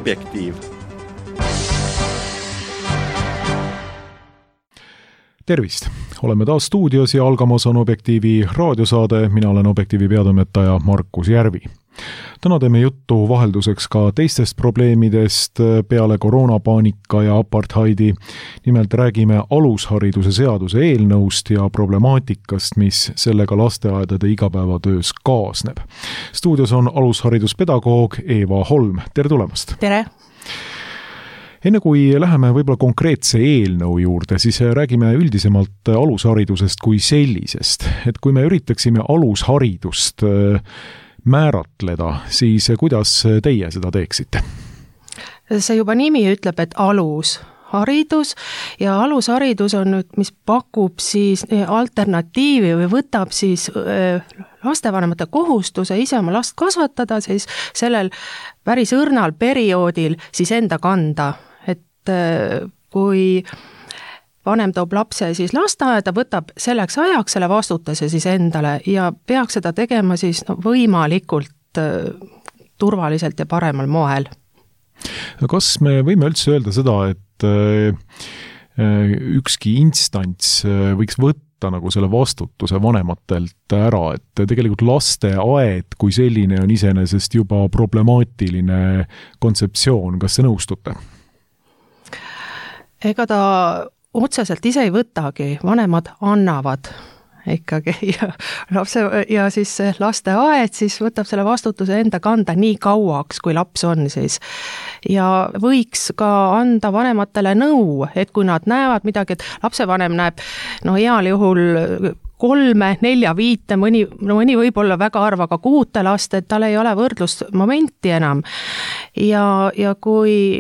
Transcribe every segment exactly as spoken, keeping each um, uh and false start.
Objektiiv. Tervist! Oleme taas stuudios ja algamas on Objektiivi raadiosaade. Mina olen Objektiivi peatoimetaja Markus Järvi. Täna teeme juttu vahelduseks ka teistest probleemidest peale koroonapaanika ja apartheidi. Nimelt räägime alushariduse seaduse eelnõust ja problemaatikast, mis sellega lasteaedade igapäevatöös kaasneb. Stuudios on alushariduspedagoog Eeva Holm. Tere tulemast! Tere! Enne kui läheme võib-olla konkreetse eelnõu juurde, siis räägime üldisemalt alusharidusest kui sellisest. Et kui me üritaksime alusharidust määratleda, siis kuidas teie seda teeksite? See juba nimi ütleb, et alusharidus ja alusharidus on nüüd, mis pakub siis alternatiivi või võtab siis lastevanemate kohustuse ise oma last kasvatada siis sellel päris õrnal perioodil siis enda kanda. Et kui vanem toob lapse siis lasteaeda, võtab selleks ajaks selle vastutuse siis endale ja peaks seda tegema siis no, võimalikult turvaliselt ja paremal moel. Kas me võime üldse öelda seda, et ükski instants võiks võtta nagu selle vastutuse vanematelt ära, et tegelikult lasteaed kui selline on iseenesest juba problemaatiline kontseptsioon, kas te nõustute? Ega ta otseselt ise ei võtagi, vanemad annavad ikkagi ja, lapse, ja siis lasteaed siis võtab selle vastutuse enda kanda nii kauaks, kui laps on siis. Ja võiks ka anda vanematele nõu, et kui nad näevad midagi, et lapsevanem näeb no heal juhul kolme, nelja, viite, mõni, no mõni võib olla väga harva ka kuute last, et tal ei ole võrdlusmomenti enam. Ja, ja kui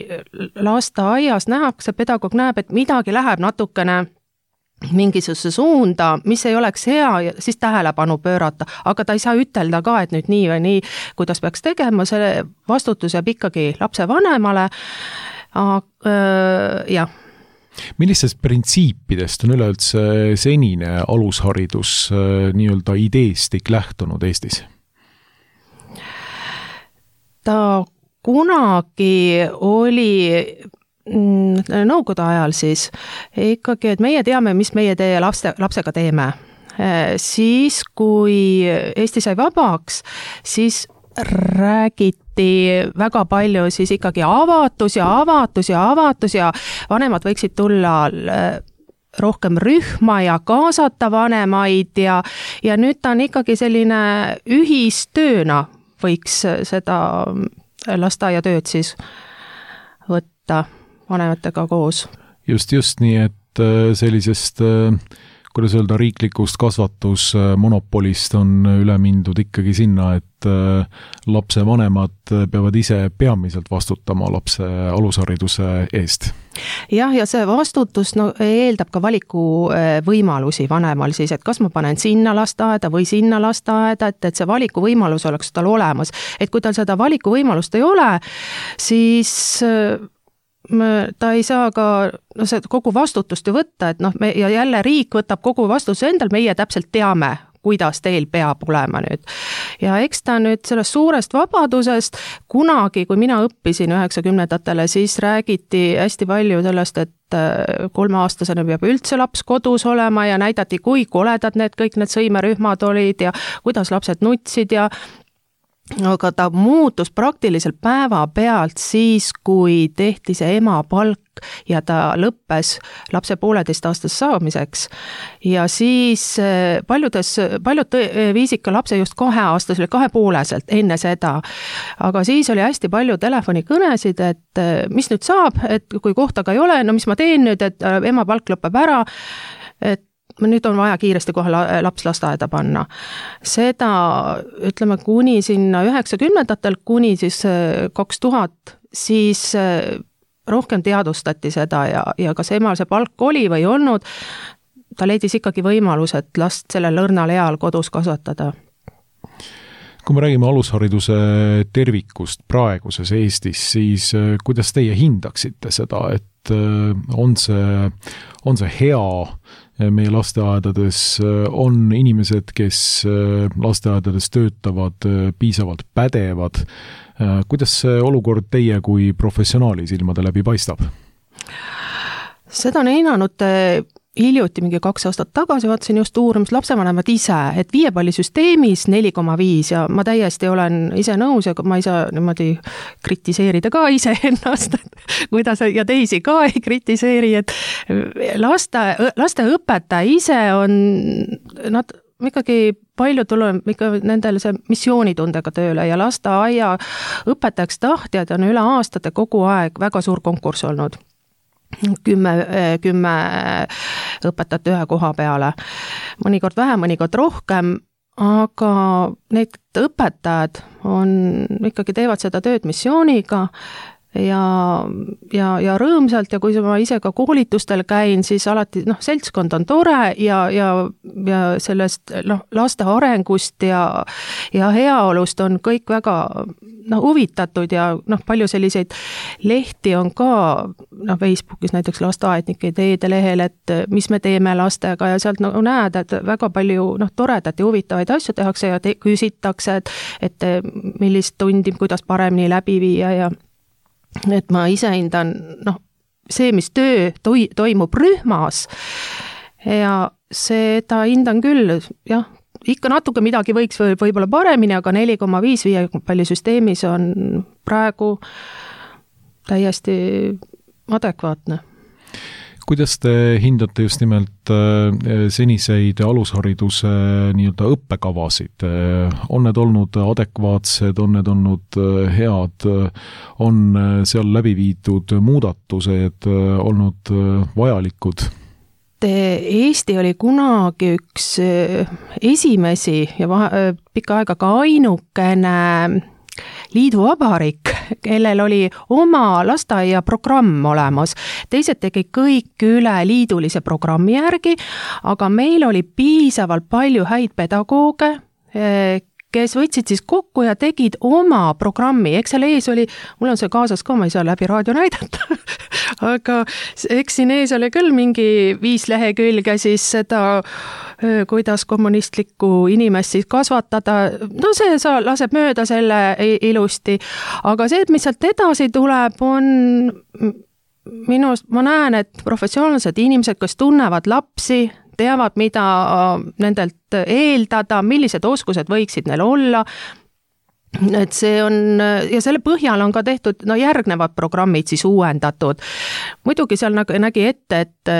lasteaias nähakse, pedagoog näeb, et midagi läheb natukene mingisuguse suunda, mis ei oleks hea, siis tähelepanu pöörata, aga ta ei saa ütelda ka, et nüüd nii või nii, kuidas peaks tegema, see vastutus jääb ikkagi lapse vanemale. Jah. Millistest printsiipidest on üleüldse senine alusharidus nii-öelda ideestik lähtunud Eestis? Ta kunagi oli nõukogude ajal siis ikkagi, et meie teame, mis meie teie lapse, lapsega teeme. Siis, kui Eesti sai vabaks, siis räägiti väga palju siis ikkagi avatus ja avatus ja avatus ja vanemad võiksid tulla rohkem rühma ja kaasata vanemaid ja, ja nüüd ta on ikkagi selline ühistööna võiks seda lasteaiatööd siis võtta vanematega koos. Just, just nii, et sellisest kuidas öelda, riiklikust kasvatusmonopolist on üle mindud ikkagi sinna, et lapse vanemad peavad ise peamiselt vastutama lapse alushariduse eest. Jah, ja see vastutus no, eeldab ka valiku võimalusi vanemal siis, et kas ma panen sinna lasteaeda või sinna lasteaeda, et, et see valiku võimalus oleks tal olemas. Et kui tal seda valiku võimalust ei ole, siis ta ei saa ka no, see kogu vastutust ju võtta, et noh, me, ja jälle riik võtab kogu vastutuse endal, meie täpselt teame, kuidas teil peab olema nüüd. Ja eks ta nüüd sellest suurest vabadusest, kunagi, kui mina õppisin üheksakümnendatele, siis räägiti hästi palju sellest, et kolmeaastasena peab üldse laps kodus olema ja näidati, kui koledad need kõik need sõimerühmad olid ja kuidas lapsed nutsid ja aga ta muutus praktiliselt päeva pealt siis, kui tehti see ema palk ja ta lõppes lapse pooleteist aastas saamiseks. Ja siis paljudes, paljud viisid ka lapse just kahe aastas, kahepooleselt enne seda. Aga siis oli hästi palju telefonikõnesid, et mis nüüd saab, et kui kohta ei ole, no mis ma teen nüüd, et ema palk lõpeb ära, et nüüd on vaja kiiresti kohe laps lasteaeda panna. Seda, ütleme, kuni sinna üheksakümnendatel, kuni siis kaks tuhat, siis rohkem teadvustati seda ja, ja kas emal see palk oli või olnud, ta leidis ikkagi võimalus, et last sellel õrnal eal kodus kasvatada. Kui me räägime alushariduse tervikust praeguses Eestis, siis kuidas teie hindaksite seda, et on see, on see hea meie lasteaedades, on inimesed, kes lasteaedades töötavad, piisavalt pädevad, kuidas see olukord teie kui professionaali silmade läbi paistab? Seda on hinnanud hiljuti, mingi kaks aastat tagasi vaatasin just uurimus lapsevanemad ise, et viiepallisüsteemis neli koma viis ja ma täiesti olen ise nõus ja ma ei saa niimoodi kritiseerida ka ise ennast, kuidas ja teisi ka ei kritiseeri, et laste, lasteõpetaja ise on, nad ikkagi palju tuleb ikka nendele see missioonitundega tööle ja lasteaia õpetajaks tahtjad on üle aastate kogu aeg väga suur konkurss olnud. Kümme, kümme õpetajat ühe koha peale. Mõnikord vähem, mõnikord rohkem, aga need õpetajad on, ikkagi teevad seda tööd missiooniga ja, ja, ja rõõmsalt ja kui ma ise ka koolitustel käin, siis alati noh, seltskond on tore ja, ja, ja sellest noh, laste arengust ja, ja heaolust on kõik väga noh, huvitatud ja noh, palju selliseid lehti on ka noh, Facebookis näiteks lasteaednike ideede lehel, et mis me teeme lastega ja sealt no, näed, et väga palju noh, toredat ja huvitavaid asju tehakse ja te, küsitakse, et, et millist tundi, kuidas paremini läbi viia ja et ma ise hindan, noh, see, mis töö toi, toimub rühmas ja seda hindan küll, jah, ikka natuke midagi võiks või, võib-olla paremini, aga neli koma viis viiepallisüsteemis on praegu täiesti adekvaatne. Kuidas te hindate just nimelt seniseid alushariduse nii-öelda õppekavasid? On need olnud adekvaatsed, on need olnud head, on seal läbi viidud muudatused olnud vajalikud? Eesti oli kunagi üks esimesi ja vahe, pikka aega ka ainukene liiduvabariik, kellel oli oma lasteaia programm olemas. Teised tegid kõik üle liidulise programmi järgi, aga meil oli piisavalt palju häid pedagooge, kes võtsid siis kokku ja tegid oma programmi. Eks seal ees oli, mul on see kaasas ka, ma ei saa läbi raadio näidata, aga eks siin ees oli küll mingi viis lehekülge siis seda, kuidas kommunistlikku inimest siis kasvatada. No see sa laseb mööda selle ilusti, aga see, mis sealt edasi tuleb, on minust, ma näen, et professionaalsed inimesed, kes tunnevad lapsi, teavad, mida nendelt eeldada, millised oskused võiksid neil olla, et see on, ja selle põhjal on ka tehtud, no järgnevad programmid siis uuendatud. Muidugi seal nägi ette, et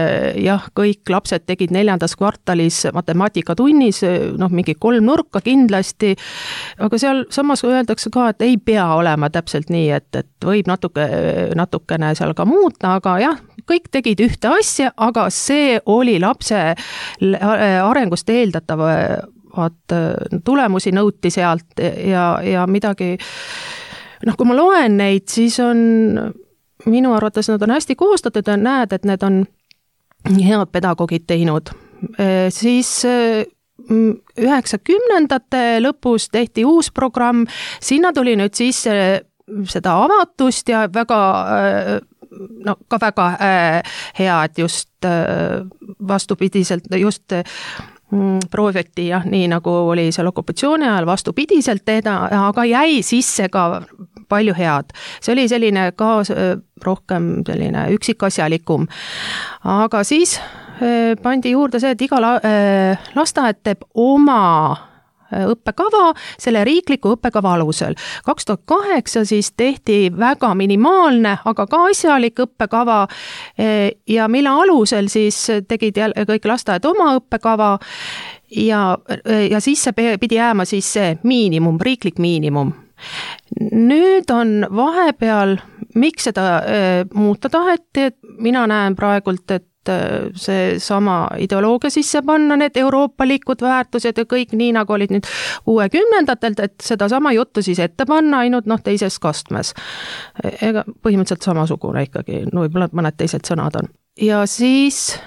jah, kõik lapsed tegid neljandas kvartalis matemaatikatunnis, noh, mingi kolm nurka kindlasti, aga seal samas öeldakse ka, et ei pea olema täpselt nii, et, et võib natuke, natukene seal ka muuta, aga jah, kõik tegid ühte asja, aga see oli lapse arengust eeldatav vaat tulemusi nõuti sealt ja, ja midagi, noh, kui ma loen neid, siis on minu arvates nad on hästi koostatud ja näed, et need on head pedagoogid teinud. Siis üheksakümnendate lõpus tehti uus programm, sinna tuli nüüd sisse seda avatust ja väga no ka väga hea, et just vastupidiselt just prooviti jah, nii nagu oli seal okupatsiooni ajal vastupidiselt teda, aga jäi sisse ka palju head. See oli selline ka rohkem selline üksikasjalikum. Aga siis pandi juurde see, et iga lasteaed teeb oma õppekava selle riikliku õppekava alusel. kaks tuhat kaheksa siis tehti väga minimaalne, aga ka asjalik õppekava ja mille alusel siis tegid kõik lasteaed oma õppekava ja, ja siis see pidi jääma siis see miinimum, riiklik miinimum. Nüüd on vahepeal, miks seda muuta taheti, et mina näen praegult, et see sama ideoloogia sisse panna, need euroopalikud väärtused ja kõik nii, nagu olid nüüd kuuekümnendatelt, et seda sama juttu siis ette panna ainult noh, teises kastmes. Ega põhimõtteliselt samasugune ikkagi, no võib-olla mõned teised sõnad on. Ja siis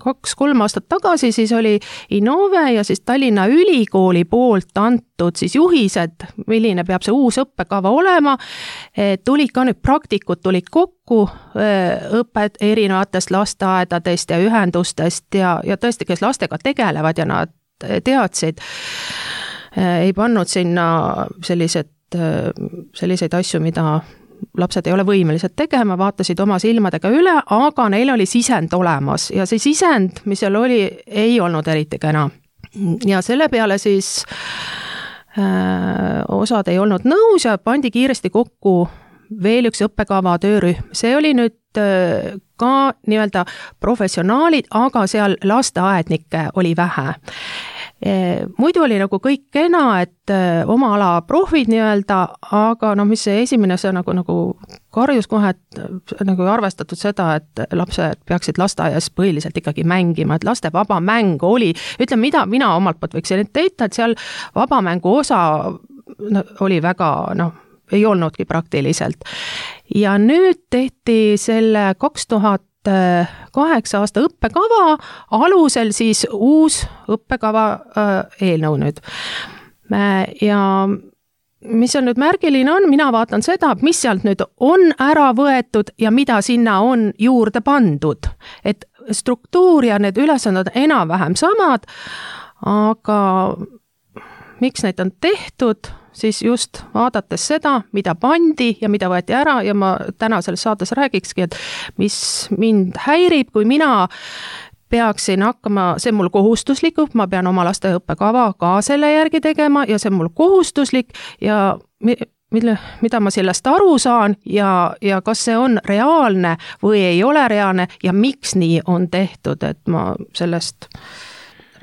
kaks-kolm aastat tagasi siis oli Innove ja siis Tallinna Ülikooli poolt antud siis juhised, milline peab see uus õppekava olema. Tulid ka nüüd praktikud tulid kokku õpet erinevatest lasteaedadest ja ühendustest ja, ja tõesti, kes lastega tegelevad ja nad teadsid, ei pannud sinna sellised, selliseid asju, mida lapsed ei ole võimelised tegema, vaatasid oma silmadega üle, aga neil oli sisend olemas ja see sisend, mis seal oli, ei olnud eriti kena. Ja selle peale siis äh, osad ei olnud nõus ja pandi kiiresti kokku veel üks õppekava töörühm. See oli nüüd äh, ka nii-öelda professionaalid, aga seal lasteaednikke oli vähe. Muidu oli nagu kõik kena, et oma ala profid nii-öelda, aga noh, mis see esimene, see nagu, nagu karjus kohe, et nagu arvestatud seda, et lapsed peaksid lasteaias põhiliselt ikkagi mängima, et laste vaba mäng oli, ütleme, mida mina omalt poolt võiksin teita, et seal vaba mängu osa no, oli väga, noh, ei olnudki praktiliselt. Ja nüüd tehti selle kaks tuhat kaheksa aasta õppekava alusel siis uus õppekava eelnõu nüüd. Ja mis on nüüd märgiline on, mina vaatan seda, mis sealt nüüd on ära võetud ja mida sinna on juurde pandud. Et struktuur ja need ülesanded enam-vähem samad, aga miks neid on tehtud, siis just vaadates seda, mida pandi ja mida võeti ära ja ma täna selles saates räägikski, et mis mind häirib, kui mina peaksin hakkama, see on mul kohustuslik, ma pean oma laste õppekava ka selle järgi tegema ja see on mul kohustuslik ja mille, mida ma sellest aru saan ja, ja kas see on reaalne või ei ole reaalne ja miks nii on tehtud, et ma sellest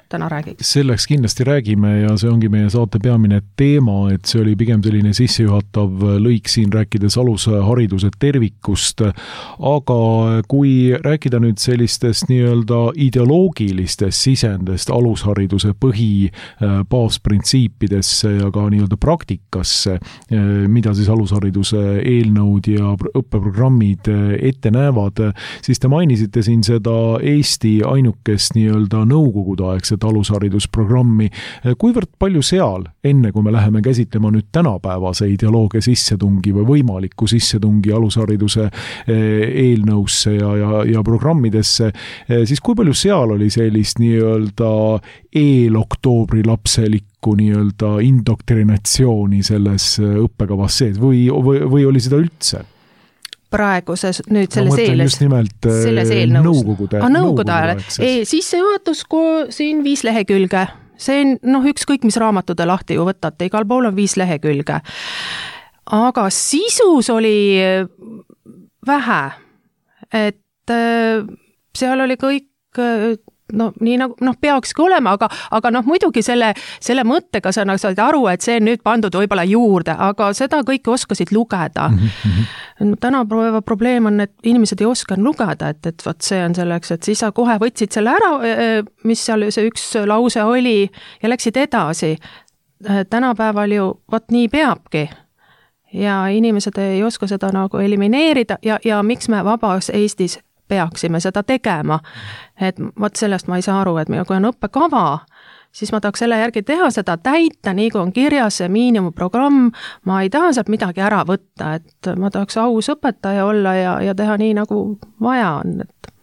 täna räägiks. Selleks kindlasti räägime ja see ongi meie saate peamine teema, et see oli pigem selline sissejuhatav lõik siin rääkides alushariduse tervikust, aga kui rääkida nüüd sellistest nii-öelda ideoloogilistest sisendest alushariduse põhi baasprintsiipidesse ja ka nii-öelda praktikasse, mida siis alushariduse eelnõud ja õppeprogrammid ette näevad, siis te mainisite siin seda Eesti ainukest nii-öelda nõukogudeaegset alusharidusprogrammi. Kuivõrd palju seal, enne kui me läheme käsitlema nüüd tänapäevase ideoloogia sissetungi või võimaliku sissetungi alushariduse eelnõusse ja, ja, ja programmidesse, siis kui palju seal oli sellist nii-öelda eeloktoobri lapselikku nii-öelda indoktrinatsiooni selles õppekavas sees või, või, või oli seda üldse? Praeguses, nüüd selles no, eeles, nimelt, selles eelnõus. Nõukogude, ah, nõukogude ajal. Sissejuhatus siin viis lehekülge. See on, noh, ükskõik mis raamatude lahti ju võtate, igal pool on viis lehekülge. Aga sisus oli vähe. Et seal oli kõik no nii nagu, noh, peakski olema, aga, aga noh, muidugi selle, selle mõttega sa said aru, et see on nüüd pandud võib-olla juurde, aga seda kõike oskasid lugeda. Mm-hmm. Tänapäeva probleem on, et inimesed ei oska lugeda, et, et võt see on selleks, et siis sa kohe võtsid selle ära, mis seal see üks lause oli ja läksid edasi. Tänapäeval ju võt nii peabki. Ja inimesed ei oska seda nagu elimineerida ja, ja miks me vabas Eestis peaksime seda tegema. Et võt sellest ma ei saa aru, et kui on õppekava, siis ma tahaks selle järgi teha seda täita, nii kui on kirjas see miinimumprogramm, ma ei taha sealt midagi ära võtta, et ma tahaks aus õpetaja olla ja, ja teha nii, nagu vaja on. Et...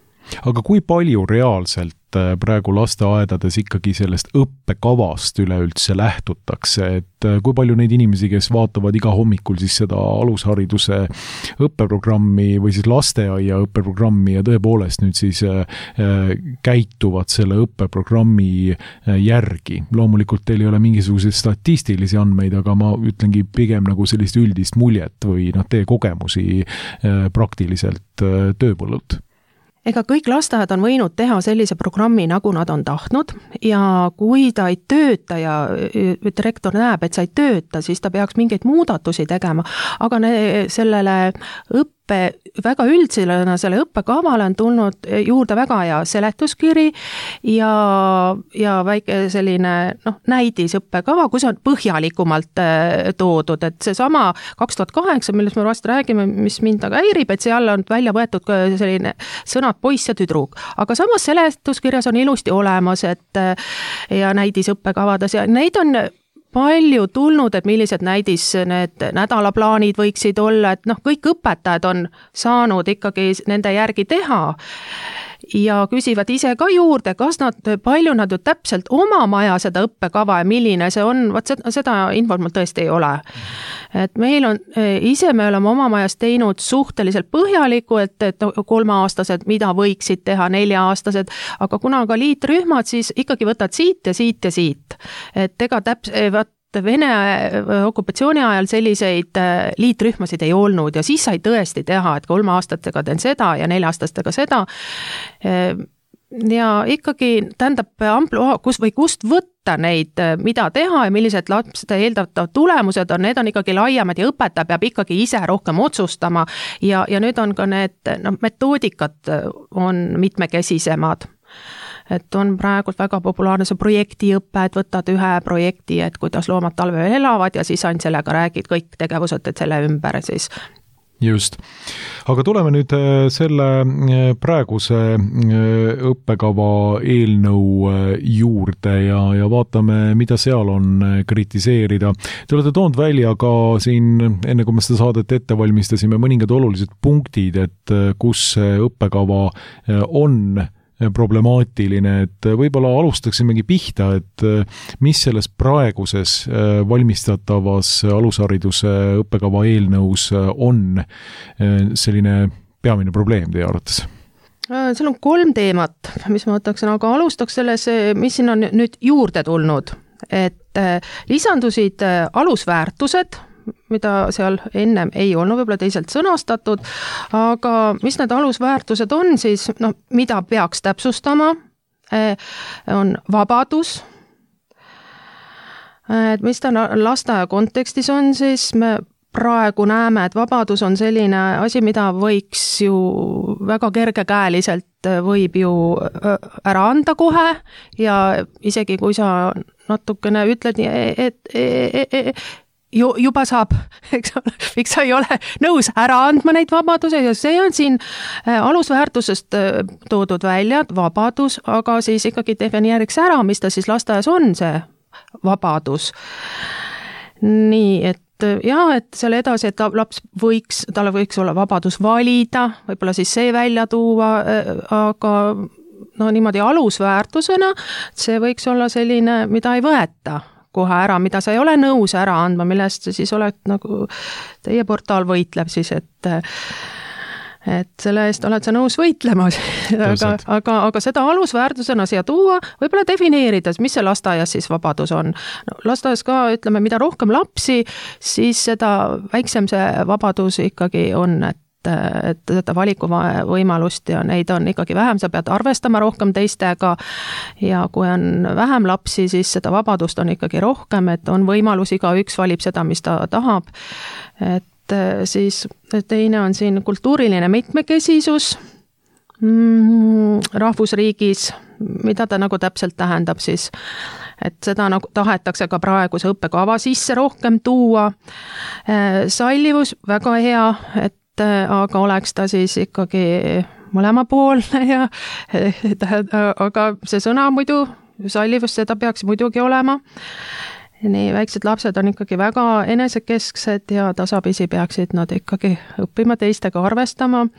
Aga kui palju reaalselt praegu lasteaedades ikkagi sellest õppekavast üleüldse lähtutakse, et kui palju neid inimesi, kes vaatavad iga hommikul siis seda alushariduse õppeprogrammi või siis lasteaia õppeprogrammi ja tõepoolest nüüd siis käituvad selle õppeprogrammi järgi. Loomulikult teil ei ole mingisuguseid statistilisi andmeid, aga ma ütlengi pigem nagu sellist üldist muljet või noh, teie kogemusi praktiliselt tööpõllult. Ega kõik lasteaed on võinud teha sellise programmi, nagu nad on tahtnud ja kui ta ei tööta ja direktor näeb, et sa ei tööta, siis ta peaks mingeid muudatusi tegema, aga ne, sellele õpp õppe, väga üldsena selle õppekavale on tulnud juurde väga hea seletuskiri ja, ja väike selline noh, näidis õppekava, kus on põhjalikumalt toodud, et see sama kaks tuhat kaheksa, millest me vast räägime, mis mind aga häirib, et seal on välja võetud ka selline sõnad poiss ja tüdruk, aga samas seletuskirjas on ilusti olemas, et ja näidis õppekavades ja neid on palju tulnud, et millised näidis need nädalaplaanid võiksid olla, et noh, kõik õpetajad on saanud ikkagi nende järgi teha ja küsivad ise ka juurde, kas nad, palju nad ju täpselt oma maja seda õppekava ja milline see on, vaat seda, seda infot mul tõesti ei ole. Et meil on, ise me oleme oma majas teinud suhteliselt põhjaliku, et, et kolmeaastased, mida võiksid teha nelja-aastased, aga kuna ka liitrühmad, siis ikkagi võtad siit ja siit ja siit. Et ega täpselt, Vene okupatsiooni ajal selliseid liitrühmasid ei olnud ja siis sai tõesti teha, et kolmeaastatega teen seda ja nelja-aastastega seda. Ja ikkagi tähendab ampluaa, kus või kust võtta neid, mida teha ja millised lapsed eeldatav tulemused on, need on ikkagi laiemad ja õpetaja peab ikkagi ise rohkem otsustama ja, ja nüüd on ka need no, metoodikad on mitmekesisemad. Et on praegult väga populaarne see projektiõpe, et võtad ühe projekti, et kuidas loomad talvel elavad ja siis ainult sellega räägid kõik tegevused, et selle ümber siis. Just. Aga tuleme nüüd selle praeguse õppekava eelnõu juurde ja, ja vaatame, mida seal on kritiseerida. Te olete toonud välja ka siin, enne kui me seda saadet ette valmistasime, mõningad olulised punktid, et kus õppekava on problemaatiline, et võib-olla alustaksimegi pihta, et mis selles praeguses valmistatavas alushariduse õppekava eelnõus on selline peamine probleem teie arvates? Seal on kolm teemat, mis ma võtaksin, aga alustaks selles, mis siin on nüüd juurde tulnud, et lisandusid alusväärtused, mida seal ennem ei olnud võib-olla teisalt sõnastatud, aga mis need alusväärtused on siis, no, mida peaks täpsustama, on vabadus, et mis ta lasteaia kontekstis on, siis me praegu näeme, et vabadus on selline asi, mida võiks ju väga kergekäeliselt võib ju ära anda kohe ja isegi kui sa natukene ütled, et, et, et juba saab, eks ole, miks sa ei ole nõus ära andma neid vabaduse ja see on siin alusväärtusest toodud välja, vabadus, aga siis ikkagi defineeriks ära, mis ta siis lasteaias on, see vabadus. Nii, et jah, et selle edasi, et laps võiks, talle võiks olla vabadus valida, võib-olla siis see välja tuua, aga no niimoodi alusväärtusena, see võiks olla selline, mida ei võeta kohe ära, mida sa ei ole nõus ära andma, millest siis oled nagu, teie portaal võitleb siis, et et selle eest oled sa nõus võitlema, aga, aga, aga seda alusväärtusena siia tuua, võib-olla defineerida, mis see lasteaias siis vabadus on. No, lasteaias ka, ütleme, mida rohkem lapsi, siis seda väiksem see vabadus ikkagi on, et et seda valikuvõimalust ja neid on ikkagi vähem, sa pead arvestama rohkem teistega ja kui on vähem lapsi, siis seda vabadust on ikkagi rohkem, et on võimalus, igaüks valib seda, mis ta tahab. Et siis teine on siin kultuuriline mitmekesisus rahvusriigis, mida ta nagu täpselt tähendab siis, et seda nagu tahetakse ka praeguse õppekava sisse rohkem tuua. Sallivus, väga hea, et aga oleks ta siis ikkagi mõlemapoolne ja aga see sõna muidu, sallivus, seda peaks muidugi olema. Nii väiksed lapsed on ikkagi väga enesekesksed ja tasapisi peaksid nad ikkagi õppima teistega arvestama.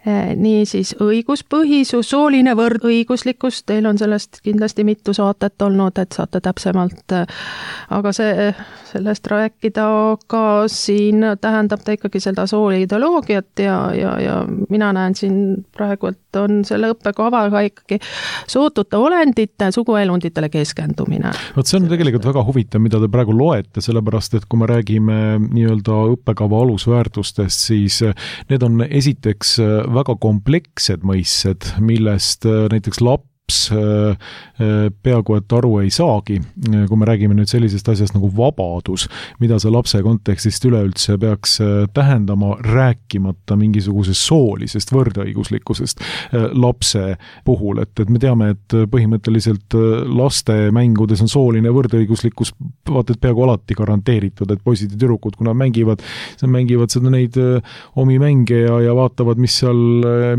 Nii siis õiguspõhisus, sooline võrdõiguslikkus, teil on sellest kindlasti mitu saatet olnud, et saate täpsemalt, aga see, sellest rääkida ka siin tähendab ta ikkagi seda sooli ideoloogiat ja, ja, ja mina näen siin praegu, et on selle õppekavaga ikkagi sootute olendite, suguelunditele keskendumine. Vot see on tegelikult väga huvitav, mida te praegu loete, sellepärast, et kui me räägime nii-öelda õppekava alusväärtustest, siis need on esiteks väga komplekssed mõissed, millest näiteks laps laps peaaegu et aru ei saagi, kui me räägime nüüd sellisest asjast nagu vabadus, mida see lapse kontekstist üleüldse peaks tähendama, rääkimata mingisugusest soolisest võrdõiguslikkusest lapse puhul, et, et me teame, et põhimõtteliselt laste mängudes on sooline võrdõiguslikkus vaata, et peaaegu alati garanteeritud, et poisid ja tüdrukud, kui nad mängivad, mängivad seda neid omi mänge ja, ja vaatavad, mis seal,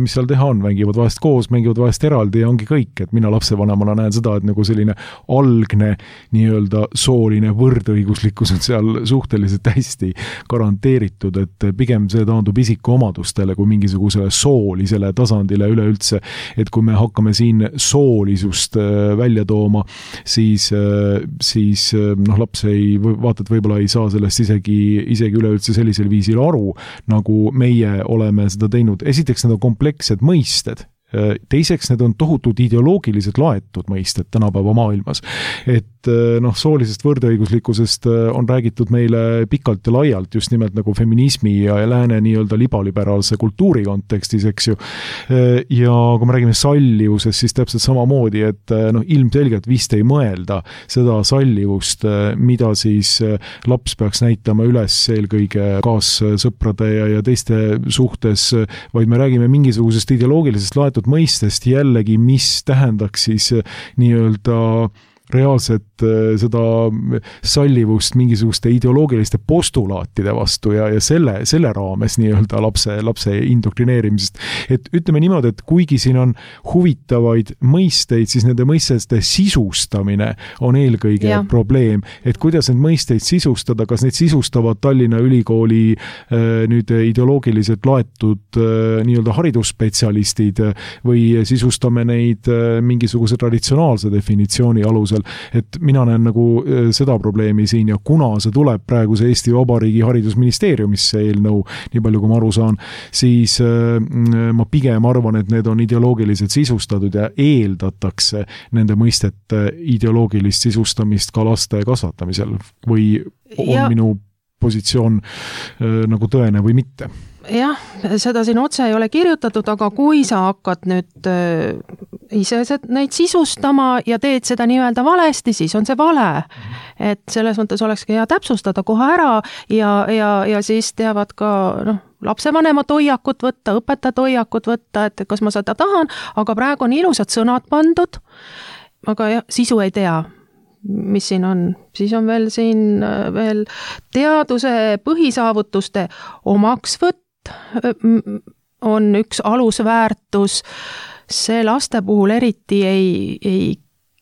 mis seal teha on, mängivad vahest koos, mängivad vahest eraldi ja ongi kõik, et mina lapsevanemana näen seda, et nagu selline algne nii-öelda sooline võrdõiguslikkus on seal suhteliselt hästi garanteeritud, et pigem see taandub isiku omadustele kui mingisugusele soolisele tasandile üleüldse, et kui me hakkame siin soolisust välja tooma, siis, siis noh, laps ei, vaata, et võib-olla ei saa sellest isegi, isegi üleüldse sellisel viisil aru, nagu meie oleme seda teinud. Esiteks need on komplekssed mõisted, teiseks need on tohutud ideoloogiliselt laetud mõisted tänapäeva maailmas. Et noh, soolisest võrdõiguslikkusest on räägitud meile pikalt ja laialt just nimelt nagu feminismi ja lääne nii-öelda libaliberaalse kultuuri kontekstis, eks ju. Ja kui me räägime sallivusest, siis täpselt samamoodi, et noh, ilmselgelt vist ei mõelda seda sallivust, mida siis laps peaks näitama üles eelkõige kaassõprade ja, ja teiste suhtes, vaid me räägime mingisugusest ideoloogilisest laetud mõistest jällegi, mis tähendaks siis nii-öelda reaalselt seda sallivust mingisuguste ideoloogiliste postulaatide vastu ja, ja selle, selle raames nii-öelda lapse, lapse indoktrineerimisest. Et ütleme niimoodi, et kuigi siin on huvitavaid mõisteid, siis nende mõisteste sisustamine on eelkõige ja. probleem. Et kuidas need mõisteid sisustada, kas neid sisustavad Tallinna Ülikooli nüüd ideoloogiliselt laetud nii-öelda haridusspetsialistid või sisustame neid mingisuguse traditsionaalse definitsiooni alusel. Et mina näen nagu seda probleemi siin ja kuna see tuleb praeguse Eesti Vabariigi haridusministeeriumisse eelnõu, nii palju kui ma aru saan, siis ma pigem arvan, et need on ideoloogiliselt sisustatud ja eeldatakse nende mõistete ideoloogilist sisustamist ka laste kasvatamisel või on ja. minu positsioon nagu tõene või mitte? Jah, seda siin otse ei ole kirjutatud, aga kui sa hakkad nüüd äh, ise neid sisustama ja teed seda nii-öelda valesti, siis on see vale. Et selles mõttes olekski hea täpsustada kohe ära ja, ja, ja siis teavad ka noh, lapsevanemat hoiakut võtta, õpetajat hoiakut võtta, et kas ma seda tahan, aga praegu on ilusad sõnad pandud, aga jah, sisu ei tea. Mis siin on? Siis on veel siin veel teaduse põhisaavutuste omaksvõtt on üks alusväärtus. See laste puhul eriti ei, ei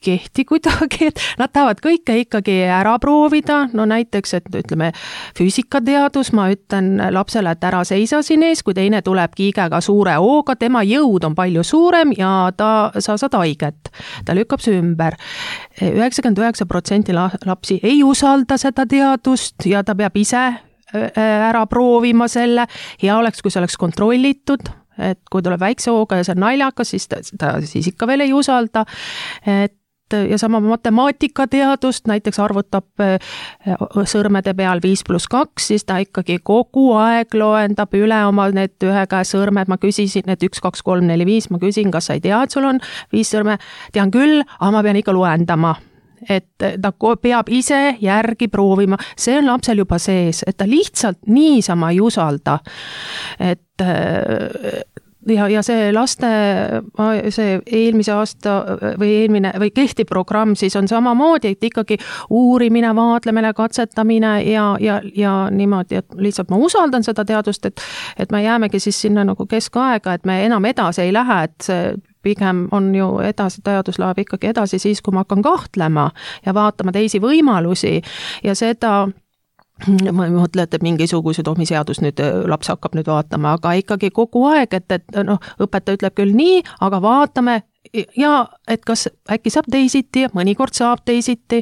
kehti kuidagi, et nad tahavad kõike ikkagi ära proovida, no näiteks, et ütleme füüsikateadus, ma ütlen lapsele, et ära seisa siin ees, kui teine tuleb kiigega suure hooga, tema jõud on palju suurem ja ta, sa saad haiget, ta lükkab see ümber. üheksakümmend üheksa protsenti lapsi ei usalda seda teadust ja ta peab ise ära proovima selle, hea oleks, kui see oleks kontrollitud, et kui tuleb väikse hooga ja see on naljakas, siis ta, ta siis ikka veel ei usalda, et ja sama matemaatikateadust, näiteks arvutab sõrmede peal viis pluss kaks, siis ta ikkagi kogu aeg loendab üle oma need ühe käe sõrmed, ma küsisin, et üks, kaks, kolm, neli, viis, ma küsin, kas sa ei tea, et sul on viis sõrme, tean küll, aga ma pean ikka loendama. Et ta peab ise järgi proovima, see on lapsel juba sees, et ta lihtsalt niisama ei usalda, et ja, ja see laste, see eelmise aasta või eelmine või kehtiv programm siis on samamoodi, et ikkagi uurimine, vaatlemine, katsetamine ja, ja, ja niimoodi, et lihtsalt ma usaldan seda teadust, et, et me jäämegi siis sinna nagu keskaega, et me enam edasi ei lähe, et see pigem on ju edasi, teadus läheb ikkagi edasi siis, kui ma hakkan kahtlema ja vaatama teisi võimalusi ja seda ma mõtlen, et mingisugused omi seadus nüüd laps hakkab nüüd vaatama, aga ikkagi kogu aeg, et, et noh, õpetaja ütleb küll nii, aga vaatame ja et kas äkki saab teisiti ja mõnikord saab teisiti,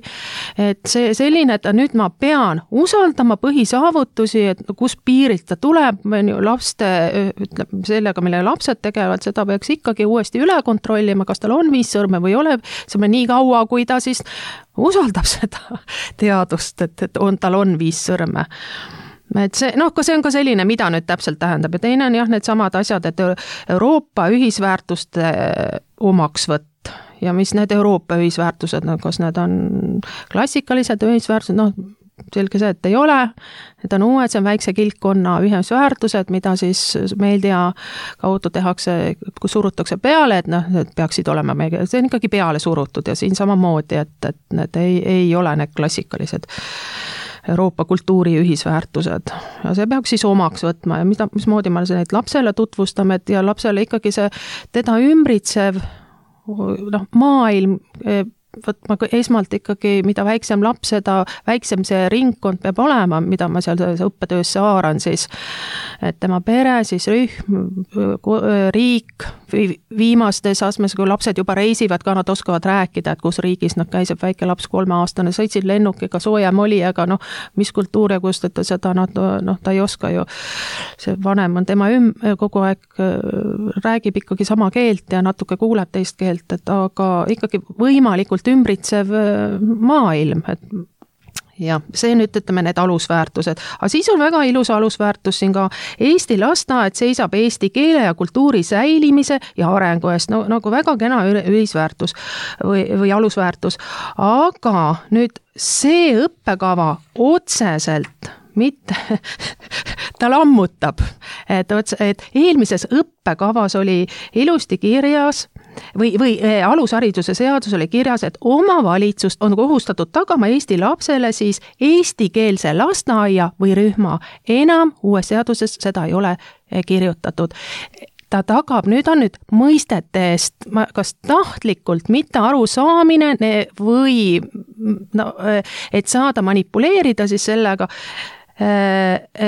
et see selline, et nüüd ma pean usaldama põhisaavutusi, et kus piirilt ta tuleb, laste, ütleb sellega, millega lapsed tegelevad, seda peaks ikkagi uuesti üle kontrollima, kas tal on viis sõrme või ei ole, see on nii kaua, kui ta siis usaldab seda teadust, et, et on, tal on viis sõrme. Et see, noh, see on ka selline, mida nüüd täpselt tähendab ja teine on jah, need samad asjad, et Euroopa ühisväärtuste omaksvõtt ja mis need Euroopa ühisväärtused, no kas need on klassikalised ühisväärtused, noh, selge see, et ei ole, need on uued, see on väikse kilpkonna ühisväärtused, mida siis meedia kaudu tehakse, kus surutakse peale, et noh, need peaksid olema meie, see on ikkagi peale surutud ja siin samamoodi, et, et need ei, ei ole need klassikalised Euroopa kultuuri ühisväärtused ja see peaks siis omaks võtma ja mida, mismoodi me neid lapsele tutvustame, et ja lapsele ikkagi see teda ümbritsev noh, maailm võtma esmalt ikkagi, mida väiksem laps, seda väiksem see ringkond peab olema, mida ma seal õppetöösse haaran siis, et tema pere, siis rühm, riik, viimastes astmes, kui lapsed juba reisivad ka, nad oskavad rääkida, et kus riigis nad käiseb, väike laps kolmeaastane, sõitsid lennukiga, soojem oli, aga noh, mis kultuur ja kust, et seda nad, noh, ta ei oska ju, see vanem on tema üm-, kogu aeg räägib ikkagi sama keelt ja natuke kuuleb teist keelt, et aga ikkagi võimalikult ümbritsev maailm, et ja see nüüd ütleme need alusväärtused, aga siis on väga ilus alusväärtus siin ka Eesti lasteaed seisab eesti keele ja kultuuri säilimise ja arengu eest, no nagu väga kena ühisväärtus või, või alusväärtus, aga nüüd see õppekava otseselt mitte, ta lammutab, et, et eelmises õppekavas oli ilusti kirjas või, või alushariduse seadus oli kirjas, et omavalitsust on kohustatud tagama Eesti lapsele siis eestikeelse lasteaia või rühma. Enam uues seaduses seda ei ole kirjutatud. Ta tagab, nüüd on nüüd mõistete eest, kas tahtlikult mitte arusaamine või no, et saada manipuleerida siis sellega,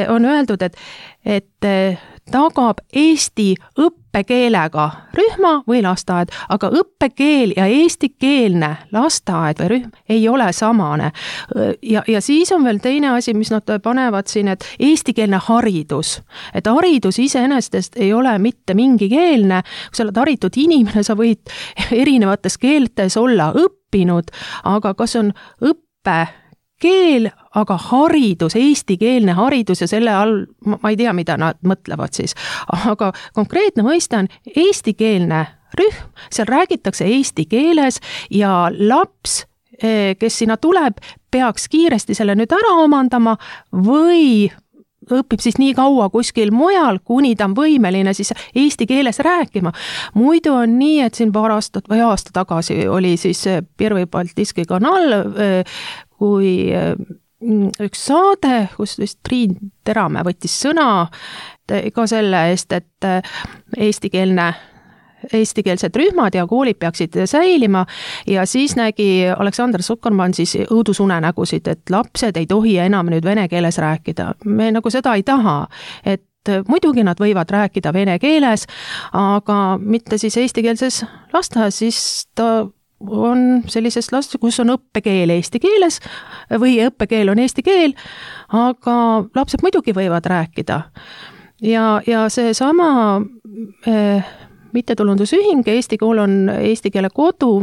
on öeldud, et, et tagab Eesti õppekeelega rühma või lasteaed, aga õppekeel ja eestikeelne lasteaed või rühm ei ole samane. Ja, ja siis on veel teine asi, mis nad panevad siin, et eestikeelne haridus. Et haridus iseenesest ei ole mitte mingi keelne, kui sa oled haritud inimene, sa võid erinevates keeltes olla õppinud, aga kas on õppe keel, aga haridus, eestikeelne haridus ja selle all, ma ei tea, mida nad mõtlevad siis, aga konkreetne mõiste on eestikeelne rühm, seal räägitakse eesti keeles ja laps, kes sinna tuleb, peaks kiiresti selle nüüd ära omandama või õpib siis nii kaua kuskil mujal, kuni ta on võimeline siis eesti keeles rääkima. Muidu on nii, et siin paar aastat või aasta tagasi oli siis Pirvi Baltiski kanal, kui üks saade, kus vist Triin Teramäe võttis sõna ka selle eest, et eestikeelne eestikeelsed rühmad ja koolid peaksid säilima ja siis nägi Aleksander Zuckerman siis õudusunenägusid, et lapsed ei tohi enam nüüd vene keeles rääkida. Me nagu seda ei taha, et muidugi nad võivad rääkida vene keeles, aga mitte siis eestikeelses lasteaias, siis ta on sellisest last, kus on õppekeel eesti keeles või õppekeel on eesti keel, aga lapsed muidugi võivad rääkida. Ja, ja see sama eh, mittetulundusühing, Eesti kool on eesti keele kodu,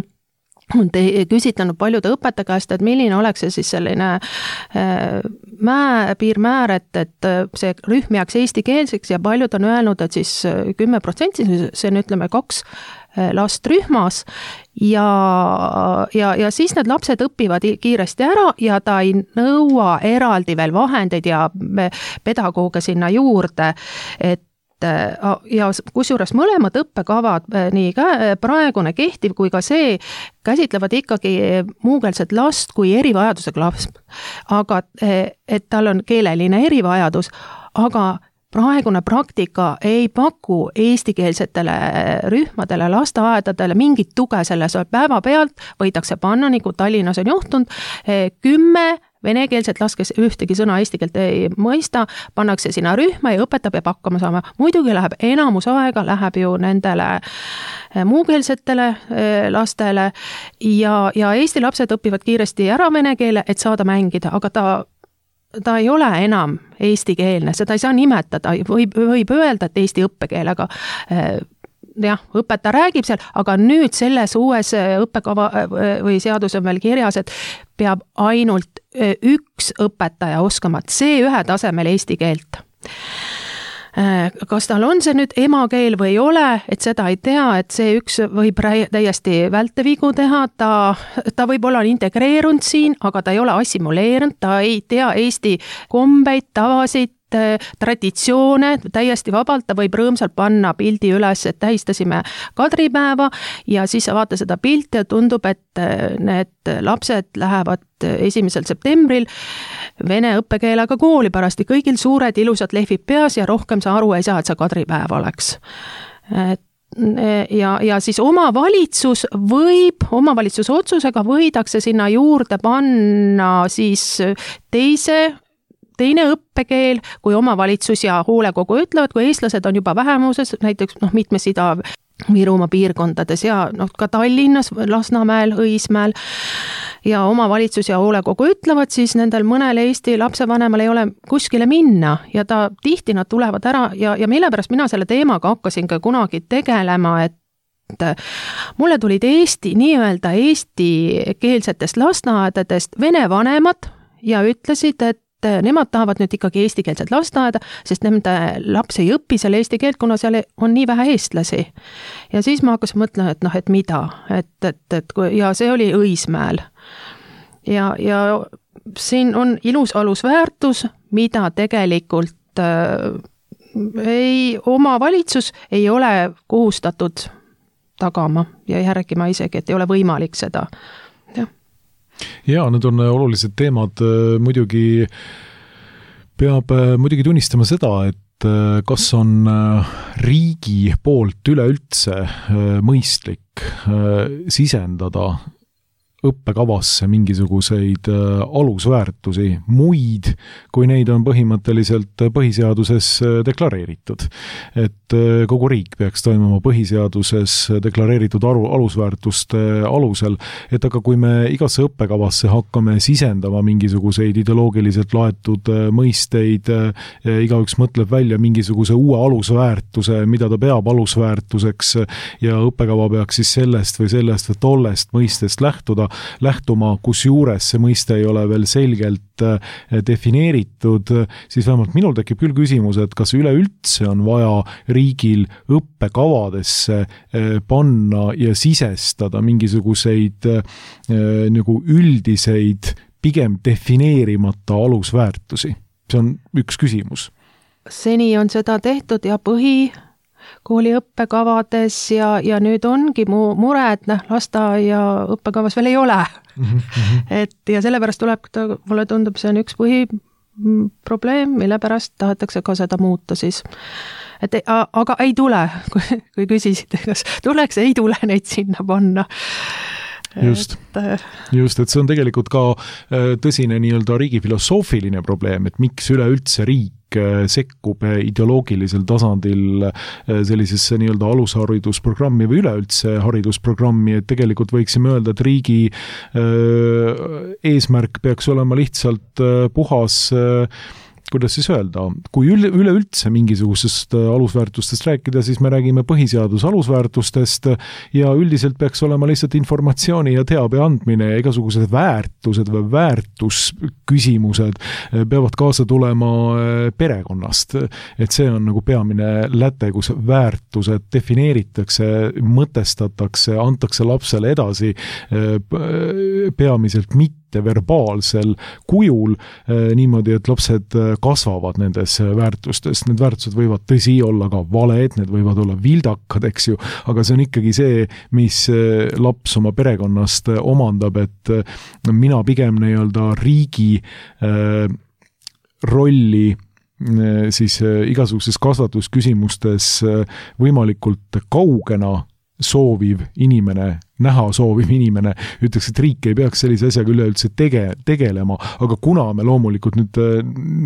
on küsitlenud paljude õpetaja käest, et milline oleks see siis selline määr, piirmäär, et, et see rühm jääks eestikeelseks ja paljud on öelnud, et siis kümme protsenti, see on ütleme kaks last rühmas ja, ja, ja siis need lapsed õpivad kiiresti ära ja ta ei nõua eraldi veel vahendeid ja pedagooge sinna juurde, et ja kusjuures mõlemad õppekavad, nii praegune kehtiv kui ka see, käsitlevad ikkagi muukeelset last kui erivajadusega last. Aga et tal on keeleline erivajadus, aga praegune praktika ei paku eestikeelsetele rühmadele, lasteaedadele mingit tuge selles päevapealt, võidakse panna, nagu Tallinnas on juhtunud, kümme venekeelset last, kes ühtegi sõna eesti keelt ei mõista, pannakse sinna rühma ja õpetaja peab hakkama saama. Muidugi läheb enamus aega, läheb ju nendele muukeelsetele lastele ja, ja eesti lapsed õpivad kiiresti ära vene keele, et saada mängida, aga ta ta ei ole enam eestikeelne, seda ei saa nimetada, võib, võib öelda, et eesti õppekeelega jah, õpetaja räägib seal, aga nüüd selles uues õppekava või seadus on veel kirjas, et peab ainult üks õpetaja oskama C ühe tasemel eesti keelt. kas tal on see nüüd emakeel või ei ole, et seda ei tea, et see üks võib täiesti vältevigu teha, ta, ta võib olla integreerunud siin, aga ta ei ole assimileerunud, ta ei tea Eesti kombeid, tavasid, traditsioone, täiesti vabalt, ta võib rõõmsalt panna pildi üles, et tähistasime kadripäeva ja siis sa vaata seda pilti ja tundub, et need lapsed lähevad esimesel septembril vene õppekeelega kooli parasti, kõigil suured ilusad lehvid peas ja rohkem sa aru ei saa, et see kadripäev oleks. ja, ja siis omavalitsus võib, omavalitsuse otsusega võidakse sinna juurde panna siis teise teine õppekeel, kui omavalitsus ja hoolekogu ütlevad, kui eestlased on juba vähemuses, näiteks noh, mitmes Ida-Virumaa piirkondades ja noh, ka Tallinnas, Lasnamäel, Õismäel ja omavalitsus ja hoolekogu ütlevad, siis nendel mõnel Eesti lapsevanemal ei ole kuskile minna ja ta tihti nad tulevad ära ja, ja mille pärast mina selle teemaga hakkasin ka kunagi tegelema, et mulle tulid Eesti, nii-öelda eestikeelsetest lasteaedadest vene vanemad ja ütlesid, et nemad tahavad nüüd ikkagi eestikeelset lasteaeda, sest nende laps ei õpi seal eesti keelt, kuna seal on nii vähe eestlasi. Ja siis ma hakkasin mõtlema, et noh, et mida, et, et, et ja see oli Õismäel. Ja, ja siin on ilus alusväärtus, mida tegelikult äh, ei, omavalitsus ei ole kohustatud tagama ja järgima isegi, et ei ole võimalik seda. Jah. Jaa, need on olulised teemad, muidugi peab muidugi tunnistama seda, et kas on riigi poolt üleüldse mõistlik sisendada õppekavasse mingisuguseid alusväärtusi, muid, kui neid on põhimõtteliselt põhiseaduses deklareeritud. Et kogu riik peaks toimuma põhiseaduses deklareeritud aru, alusväärtuste alusel, et aga kui me igasse õppekavasse hakkame sisendama mingisuguseid ideoloogiliselt laetud mõisteid, igaüks mõtleb välja mingisuguse uue alusväärtuse, mida ta peab alusväärtuseks ja õppekava peaks siis sellest või sellest või tollest mõistest lähtuda, lähtuma, kus juures see mõiste ei ole veel selgelt defineeritud, siis vähemalt minul tekib küll küsimus, et kas üleüldse on vaja riigil õppekavadesse panna ja sisestada mingisuguseid nagu üldiseid, pigem defineerimata alusväärtusi. See on üks küsimus. Seni on seda tehtud ja põhi kooli õppekavades ja, ja nüüd ongi mu mure, et noh, lasteaia õppekavas veel ei ole. Mm-hmm. Et ja sellepärast tuleb, mulle tundub, see on üks põhiprobleem, mille pärast tahetakse ka seda muuta siis. Et, aga ei tule, kui, kui küsisid, kas tuleks, ei tule neid sinna panna. Just, just, et see on tegelikult ka tõsine nii-öelda riigi filosoofiline probleem, et miks üleüldse riik sekkub ideoloogilisel tasandil sellisesse nii-öelda alusharidusprogrammi või üleüldse haridusprogrammi, et tegelikult võiksime öelda, et riigi eesmärk peaks olema lihtsalt puhas, kuidas siis öelda, kui üle, üleüldse mingisugusest alusväärtustest rääkida, siis me räägime põhiseaduse alusväärtustest ja üldiselt peaks olema lihtsalt informatsiooni ja teabe andmine ja igasugused väärtused või väärtusküsimused peavad kaasa tulema perekonnast. Et see on nagu peamine läte, kus väärtused defineeritakse, mõtestatakse, antakse lapsele edasi peamiselt mitte verbaalsel kujul niimoodi, et lapsed kasvavad nendes väärtustes. Need väärtused võivad tõsi olla ka valed, need võivad olla vildakad, eks ju, aga see on ikkagi see, mis laps oma perekonnast omandab, et mina pigem nii-öelda riigi rolli siis igasuguses kasvatusküsimustes võimalikult kaugena sooviv inimene, näha sooviv inimene, ütleks, et riik ei peaks sellise asjaga üleüldse tege, tegelema, aga kuna me loomulikult nüüd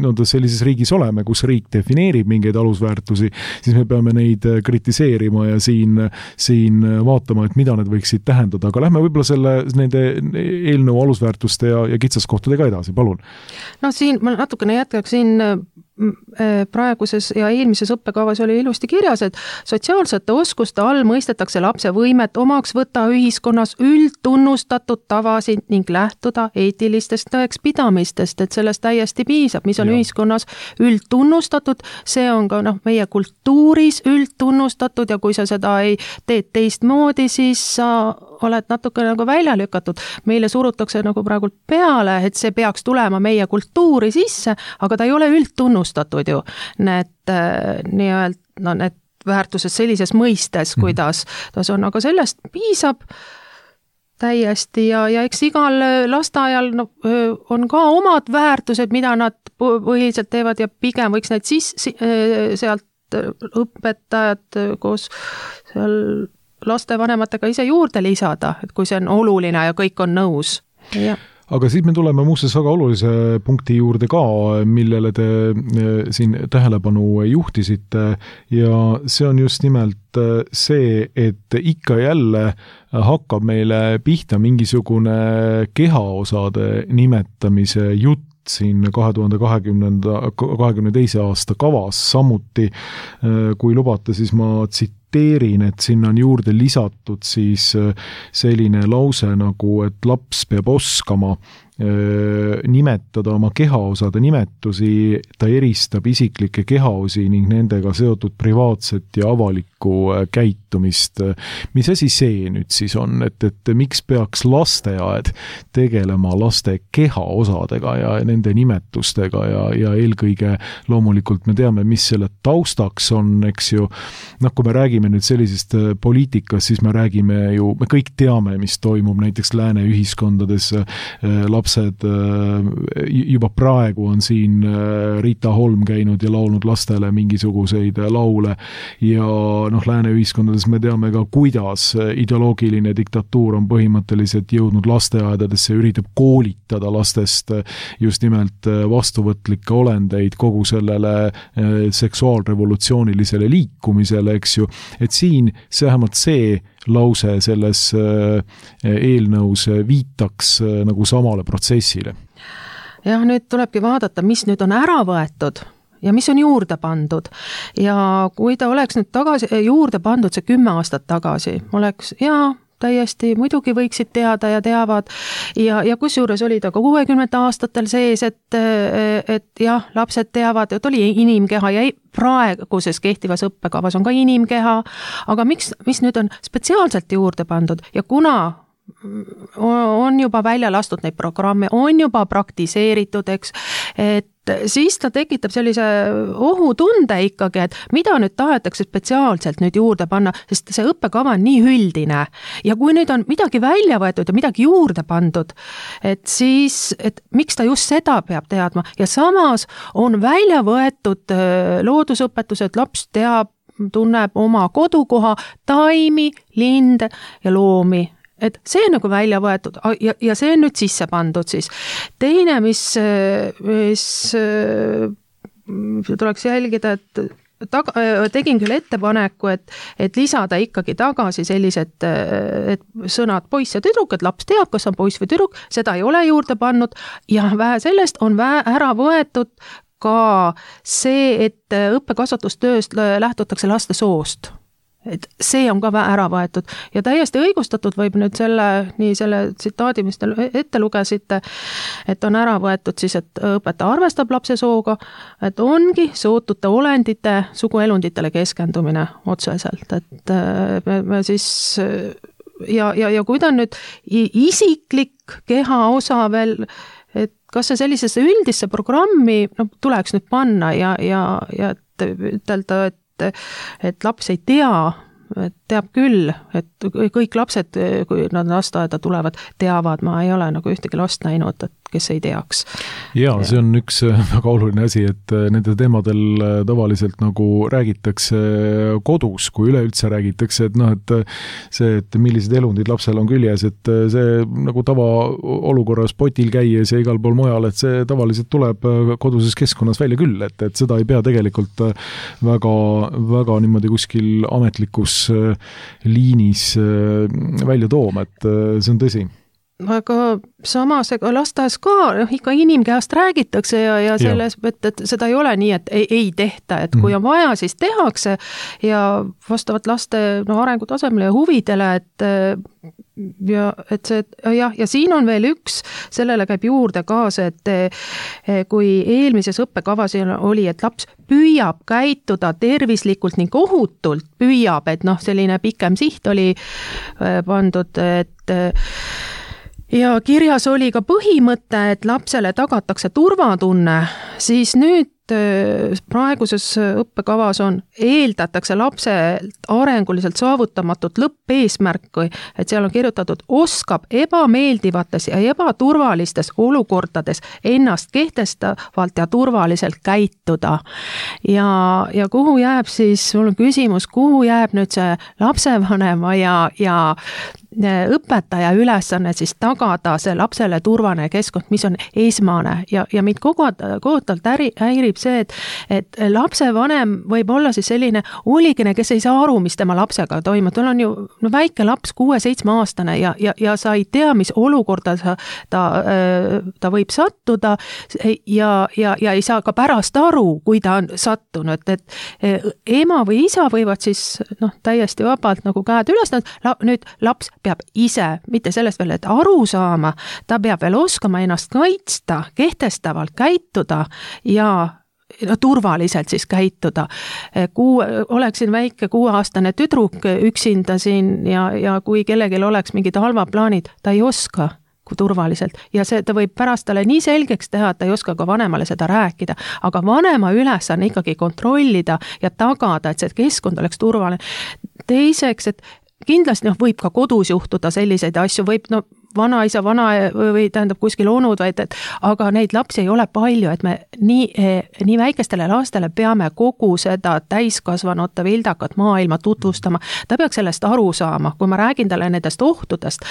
no, sellises riigis oleme, kus riik defineerib mingeid alusväärtusi, siis me peame neid kritiseerima ja siin, siin vaatama, et mida need võiksid tähendada, aga lähme võib-olla selle, nende eelnõu alusväärtuste ja, ja kitsaskohtadega edasi, palun. No siin ma natukene jätkaksin praeguses ja eelmises õppekavas oli ilusti kirjas, et sotsiaalsete oskuste all mõistetakse lapse võimet omaks võtta ühi ühiskonnas üldtunnustatud tavasid ning lähtuda eetilistest tõekspidamistest, et sellest täiesti piisab, mis on ja. ühiskonnas üldtunnustatud, see on ka noh, meie kultuuris üldtunnustatud ja kui sa seda ei teed teistmoodi, siis sa oled natuke nagu välja lükatud. Meile surutakse nagu praegu peale, et see peaks tulema meie kultuuri sisse, aga ta ei ole üldtunnustatud ju. Need nii-öelda, no need väärtused sellises mõistes, kuidas ta on, aga sellest piisab täiesti ja, ja eks igal lasteaial no, on ka omad väärtused, mida nad põhiliselt teevad ja pigem võiks need siis sealt õpetajad koos seal lastevanematega ise juurde lisada, et kui see on oluline ja kõik on nõus. Ja. Aga siis me tuleme muuseas väga olulise punkti juurde ka, millele te siin tähelepanu juhtisite ja see on just nimelt see, et ikka jälle hakkab meile pihta mingisugune kehaosade nimetamise jutt siin kahe tuhande kahekümnenda, kahekümne teise aasta kavas, samuti kui lubate, siis ma tsiteerin, et sinna on juurde lisatud siis selline lause nagu, et laps peab oskama nimetada oma kehaosade nimetusi, ta eristab isiklikke kehaosi ning nendega seotud privaatset ja avalikku käitumist. Mis asi see nüüd siis on, et, et miks peaks lasteaed tegelema laste kehaosadega ja nende nimetustega ja, ja eelkõige loomulikult me teame, mis selle taustaks on, eks ju, noh, kui me räägime nüüd sellisest poliitikast, siis me räägime ju, me kõik teame, mis toimub näiteks lääne ühiskondades, lapsed, juba praegu on siin Rita Holm käinud ja laulnud lastele mingisuguseid laule ja noh, lääne ühiskondades me teame ka, kuidas ideoloogiline diktatuur on põhimõtteliselt jõudnud lasteaedadesse, üritab koolitada lastest just nimelt vastuvõtlikke olendeid kogu sellele seksuaalrevolutsioonilisele liikumisele, eks ju, et siin see vähemalt see lause selles eelnõus viitaks nagu samale protsessile. Jah, nüüd tulebki vaadata, mis nüüd on ära võetud ja mis on juurde pandud. Ja kui ta oleks nüüd tagasi, juurde pandud see kümme aastat tagasi, oleks jaa, täiesti muidugi võiksid teada ja teavad ja, ja kusjuures oli ta ka kuuekümnendate aastatel sees, et, et jah, lapsed teavad, et oli inimkeha ja praeguses kehtivas õppekavas on ka inimkeha, aga miks, mis nüüd on spetsiaalselt juurde pandud ja kuna on juba välja lastud neid programme, on juba praktiseeritud, eks, et siis ta tekitab sellise ohutunde ikkagi, et mida nüüd tahetakse spetsiaalselt nüüd juurde panna, sest see õppekava on nii üldine ja kui nüüd on midagi välja võetud ja midagi juurde pandud, et siis, et miks ta just seda peab teadma ja samas on välja võetud loodusõpetused, laps teab, tunneb oma kodukoha, taimi, linde ja loomi. Et see on nagu välja võetud ja, ja see on nüüd sisse pandud siis. Teine, mis, mis tuleks jälgida, et taga, tegin küll ettepaneku, et, et lisada ikkagi tagasi sellised et sõnad poiss ja tüdruk, et laps teab, kas on poiss või tüdruk, seda ei ole juurde pannud ja vähe sellest on vähe ära võetud ka see, et õppekasvatustööst lähtutakse laste soost. Et see on ka ära võetud ja täiesti õigustatud võib nüüd selle, nii selle tsitaadi, mis te ette lugesite, et on ära võetud siis, et õpetaja arvestab lapse sooga, et ongi sootute olendite suguelunditele keskendumine otseselt, et me, me siis ja, ja, ja kui ta on nüüd isiklik keha osa veel, et kas see sellisesse üldisse programmi no, tuleks nüüd panna ja, ja, ja et ütelda, et et laps ei tea, et teab küll, et kõik lapsed, kui nad lasteaeda tulevad, teavad, ma ei ole nagu ühtegi last näinud, et kes ei teaks. Jaa, see on üks väga oluline asi, et nende teemadel tavaliselt nagu räägitakse kodus, kui üleüldse räägitakse, et noh, et see, et millised elundid lapsel on küljes, et see nagu tava olukorras potil käies ja igal pool mujal, et see tavaliselt tuleb koduses keskkonnas välja küll, et, et seda ei pea tegelikult väga, väga niimoodi kuskil ametlikus liinis välja tooma, et see on tõsi. Aga samas ega lasteaias ka ikka inimkehast räägitakse ja, ja selles, et, et seda ei ole nii, et ei, ei tehta, et kui on vaja, siis tehakse ja vastavalt laste no, arengutasemele ja huvidele, et ja et see, jah, ja siin on veel üks, sellele käib juurde kaasa, et kui eelmises õppekavas oli, et laps püüab käituda tervislikult ning ohutult, püüab, et noh, selline pikem siht oli pandud, et ja kirjas oli ka põhimõte, et lapsele tagatakse turvatunne, siis nüüd praeguses õppekavas on, eeldatakse lapselt arenguliselt saavutamatut lõppeesmärki, et seal on kirjutatud, oskab ebameeldivates ja ebaturvalistes olukordades ennast kehtestavalt ja turvaliselt käituda. Ja, ja kuhu jääb siis, mul on küsimus, kuhu jääb nüüd see lapsevanema ja, ja õpetaja ülesanne siis tagada see lapsele turvaline keskkond, mis on esmane ja, ja mind kohutavalt häirib see, et, et lapsevanem võib olla siis selline huligene, kes ei saa aru, mis tema lapsega toimub. Tal on ju no, väike laps, kuue-seitsme aastane ja, ja, ja sa ei tea, mis olukorda sa, ta, ta võib sattuda ja, ja, ja ei saa ka pärast aru, kui ta on sattunud, et ema või isa võivad siis noh, täiesti vabalt nagu käed üles, nüüd laps peab ise, mitte sellest veel, et aru saama, ta peab veel oskama ennast kaitsta, kehtestavalt käituda ja no, turvaliselt siis käituda. Kuu, oleksin väike kuueaastane tüdruk üksinda siin ja, ja kui kellelgi oleks mingid halvad plaanid, ta ei oska kui turvaliselt ja see, ta võib pärast talle nii selgeks teha, et ta ei oska ka vanemale seda rääkida, aga vanema ülesanne ikkagi kontrollida ja tagada, et see keskkond oleks turvaline. Teiseks, et kindlasti noh, võib ka kodus juhtuda selliseid asju, võib no, vanaisa, vana või tähendab kuskil onud, vaid, et, aga neid lapsi ei ole palju, et me nii, nii väikestele lastele peame kogu seda täiskasvanute vildakat maailma tutvustama. Ta peaks sellest aru saama, kui ma räägin talle nendest ohtudest,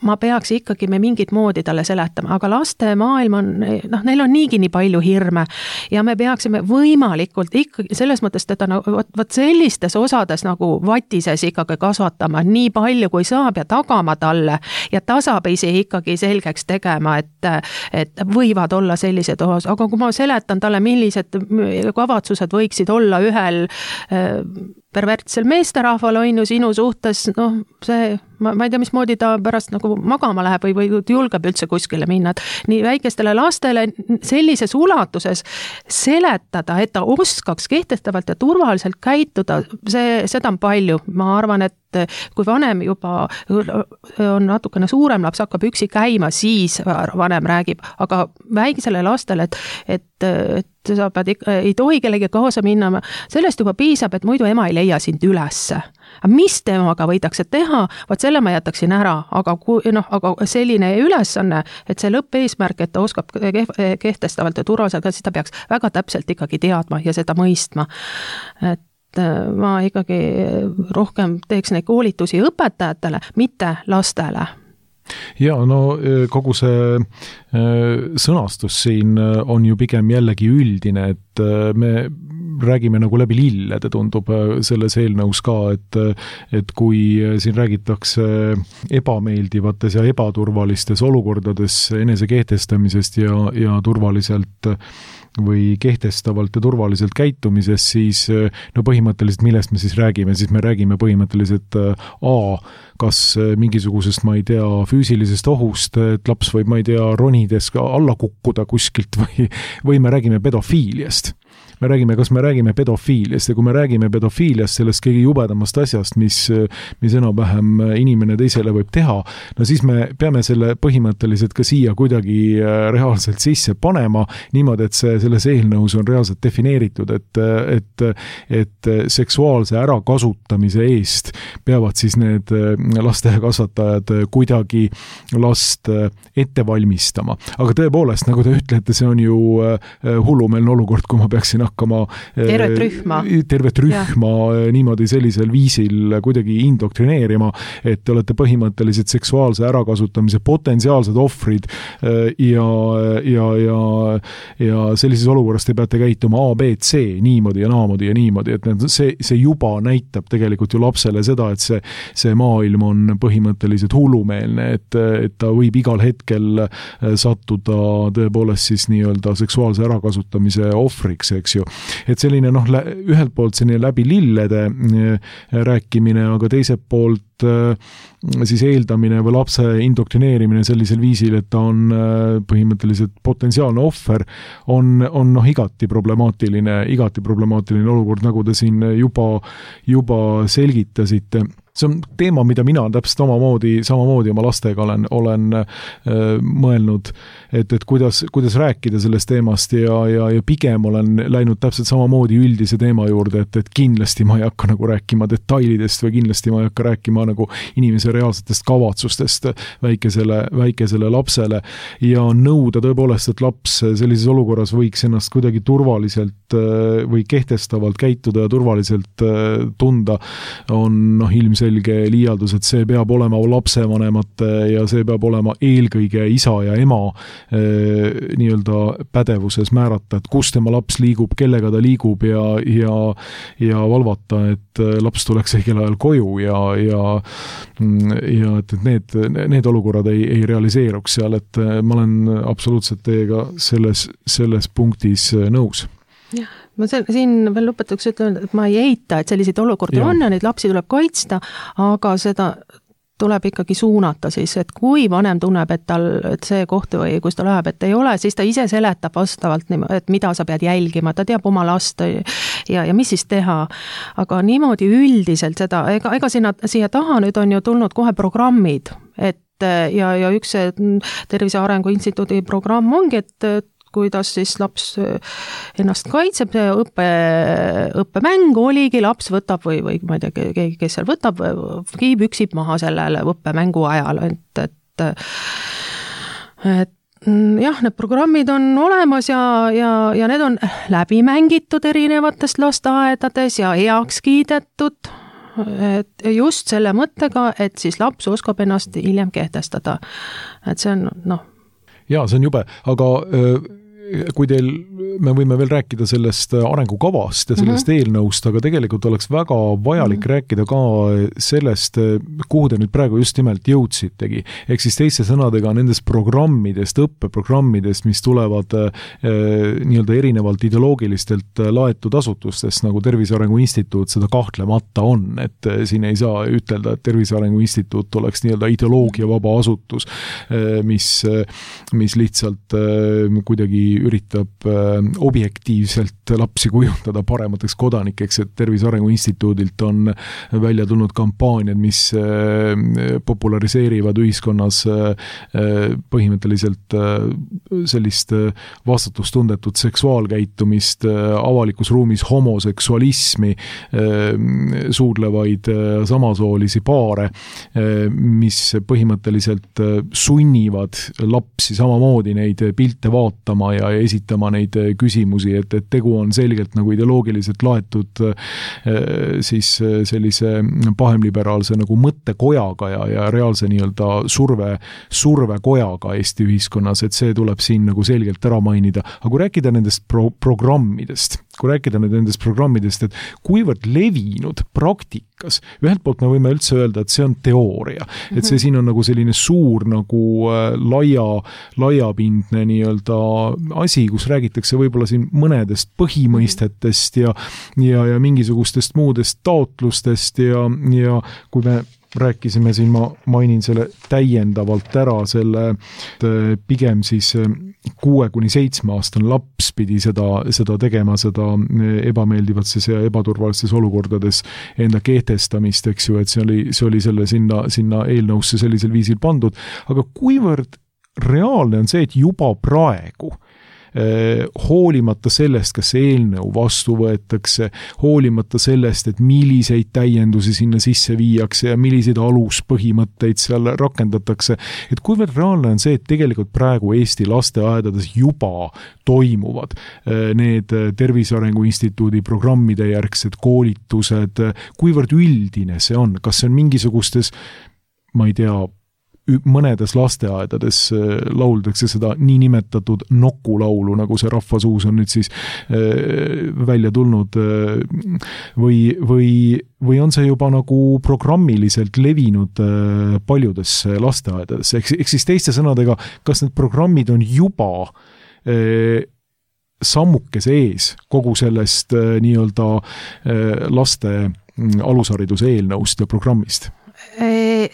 ma peaks ikkagi me mingit moodi talle seletama, aga laste maailm on, noh, neil on niigi nii palju hirme ja me peaksime võimalikult ikkagi selles mõttes teda no, võt, võt sellistes osades nagu vatises ikkagi kasvatama nii palju kui saab ja tagama talle ja ta saab ise ikkagi selgeks tegema, et, et võivad olla sellised osas, aga kui ma seletan talle, millised kavatsused võiksid olla ühel pervertsel meesterahval on ju sinu suhtes, noh, see, ma, ma ei tea, mismoodi ta pärast nagu magama läheb või, või julgeb üldse kuskile minna. Nii väikestele lastele sellises ulatuses seletada, et ta oskaks kehtestavalt ja turvaliselt käituda, see, seda on palju. Ma arvan, et kui vanem juba on natukene suurem laps, hakkab üksi käima, siis vanem räägib, aga väikesele lastele, et, et, et sa pead, ei tohi kellegi kaasa minna, sellest juba piisab, et muidu ema ei leia sind ülesse. Mis temaga võidakse teha, vaat selle ma jätaksin ära, aga, kui, no, aga selline ülesanne, et see lõppeesmärk, et ta oskab kehtestavalt ja turvaliselt, siis ta peaks väga täpselt ikkagi teadma ja seda mõistma. Et ma ikkagi rohkem teeks neid koolitusi õpetajatele, mitte lastele. Ja no kogu see sõnastus siin on ju pigem jällegi üldine, et me räägime nagu läbi lillede, tundub selles eelnõus ka, et, et kui siin räägitakse ebameeldivates ja ebaturvalistes olukordades enese kehtestamisest ja, ja turvaliselt või kehtestavalt ja turvaliselt käitumisest, siis no põhimõtteliselt millest me siis räägime, siis me räägime põhimõtteliselt A, kas mingisugusest, ma ei tea, füüsilisest ohust, et laps võib, ma ei tea, ronides ka alla kukkuda kuskilt või, või me räägime pedofiiliast. Me räägime, kas me räägime pedofiiliast ja kui me räägime pedofiiliast, sellest kõige jubedamast asjast, mis, mis enam-vähem inimene teisele võib teha, no siis me peame selle põhimõtteliselt ka siia kuidagi reaalselt sisse panema, niimoodi, et see selles eelnõus on reaalselt defineeritud, et, et, et seksuaalse ärakasutamise eest peavad siis need lasteaiakasvatajad kuidagi last ette valmistama. Aga tõepoolest, nagu te ütlete, see on ju hullumeelne olukord, kui ma peaksin hakkama tervet rühma, tervet rühma niimoodi sellisel viisil kuidagi indoktrineerima, et te olete põhimõtteliselt seksuaalse ärakasutamise potentsiaalsed ohvrid ja, ja, ja, ja sellises olukorras te peate käituma A, B, C niimoodi ja naamoodi ja niimoodi, et see, see juba näitab tegelikult ju lapsele seda, et see, see maailm on põhimõtteliselt hullumeelne, et, et ta võib igal hetkel sattuda tõepoolest siis nii-öelda seksuaalse ärakasutamise ohvriks, eks eks ju. Et selline noh, ühelt poolt selline läbi lillede rääkimine, aga teiselt poolt siis eeldamine või lapse indoktrineerimine sellisel viisil, et ta on põhimõtteliselt potentsiaalne ohver, on, on noh, igati problemaatiline, igati problemaatiline olukord, nagu te siin juba, juba selgitasite. See on teema, mida mina täpselt omamoodi, samamoodi oma lastega olen, olen äh, mõelnud, et, et kuidas, kuidas rääkida sellest teemast ja, ja, ja pigem olen läinud täpselt samamoodi üldise teema juurde, et, et kindlasti ma ei hakka nagu rääkima detailidest või kindlasti ma ei hakka rääkima nagu inimese reaalsetest kavatsustest väikesele, väikesele lapsele ja nõuda tõepoolest, et laps sellises olukorras võiks ennast kuidagi turvaliselt äh, või kehtestavalt käituda ja turvaliselt äh, tunda, on noh, ilmselt selge liialdus, et see peab olema lapsevanemate ja see peab olema eelkõige isa ja ema eh, nii-öelda pädevuses määrata, et kus tema laps liigub, kellega ta liigub ja, ja, ja valvata, et laps tuleks õigel ajal koju ja, ja, ja et, et need, need olukorrad ei, ei realiseeruks seal, et ma olen absoluutselt teiega selles, selles punktis nõus. Jah. Ma siin veel lõpetuks ütlen, et ma ei eita, et selliseid olukordi on ja neid lapsi tuleb kaitsta, aga seda tuleb ikkagi suunata siis, et kui vanem tunneb, et tal, et see koht või kus ta läheb, et ei ole, siis ta ise seletab vastavalt, et mida sa pead jälgima, ta teab oma last ja, ja mis siis teha. Aga niimoodi üldiselt seda, ega, ega sinna, siia taha nüüd on ju tulnud kohe programmid, et ja, ja üks Tervise Arengu Instituudi programm ongi, et kuidas siis laps ennast kaitseb, õppe, õppemäng oligi, laps võtab või, või ma ei tea, keegi, kes seal võtab, püksib maha sellele õppemängu ajal, et, et, et jah, need programmid on olemas ja, ja, ja need on läbi mängitud erinevatest lasteaedades ja heaks kiidetud, et just selle mõttega, et siis laps oskab ennast hiljem kehtestada. Et see on, noh, jaa, see on jube, aga öö, kui teil, me võime veel rääkida sellest arengukavast ja sellest mm-hmm. eelnõust, aga tegelikult oleks väga vajalik mm-hmm. rääkida ka sellest, kuhu te nüüd praegu just nimelt jõudsitegi. Ehk siis teiste sõnadega nendest programmidest, õppeprogrammidest, mis tulevad eh, nii-öelda erinevalt ideoloogilistelt laetud asutustest, nagu Tervise Arengu Instituut seda kahtlemata on, et siin ei saa ütelda, et Tervise Arengu Instituut oleks nii-öelda ideoloogia vaba asutus, eh, mis, mis lihtsalt eh, kuidagi üritab objektiivselt lapsi kujundada paremateks kodanikeks, et Tervise Arengu Instituudilt on välja tulnud kampaaniad, mis populariseerivad ühiskonnas põhimõtteliselt sellist vastutustundetut seksuaalkäitumist, avalikus ruumis homoseksualismi, suudlevaid samasoolisi paare, mis põhimõtteliselt sunnivad lapsi samamoodi neid pilte vaatama ja ja esitama neid küsimusi, et, et tegu on selgelt nagu ideoloogiliselt laetud siis sellise pahemliberaalse nagu mõttekojaga ja, ja reaalse nii-öelda surve, survekojaga Eesti ühiskonnas, et see tuleb siin nagu selgelt ära mainida. Aga kui rääkida nendest pro- programmidest, kui rääkida nendest programmidest, et kuivõrd levinud praktikas, ühelt poolt me võime üldse öelda, et see on teooria, et see siin on nagu selline suur nagu laia, laiapindne nii-öelda asi, kus räägitakse võib-olla siin mõnedest põhimõistetest ja, ja, ja mingisugustest muudest taotlustest ja, ja kui me rääkisime siin, ma mainin selle täiendavalt ära, selle pigem siis kuue kuni seitsme aastane laps pidi seda, seda tegema, seda ebameeldivates ja ebaturvalistes olukordades enda kehtestamist, eks ju, et see oli, see oli selle sinna, sinna eelnõusse sellisel viisil pandud, aga kuivõrd reaalne on see, et juba praegu hoolimata sellest, kas see eelnõu vastu võetakse, hoolimata sellest, et milliseid täiendusi sinna sisse viiakse ja milliseid aluspõhimõtteid seal rakendatakse, et kuivõrd reaalne on see, et tegelikult praegu Eesti lasteaedades juba toimuvad need Tervise Arengu Instituudi programmide järgsed koolitused, kuivõrd üldine see on, kas see on mingisugustes, ma ei tea, mõnedes lasteaedades lauldakse seda niinimetatud nokulaulu, nagu see rahvasuus on nüüd siis välja tulnud, või, või, või on see juba nagu programmiliselt levinud paljudes lasteaedades, ehk, ehk siis teiste sõnadega, kas need programmid on juba sammukese ees kogu sellest nii-öelda laste alushariduse eelnõust ja programmist?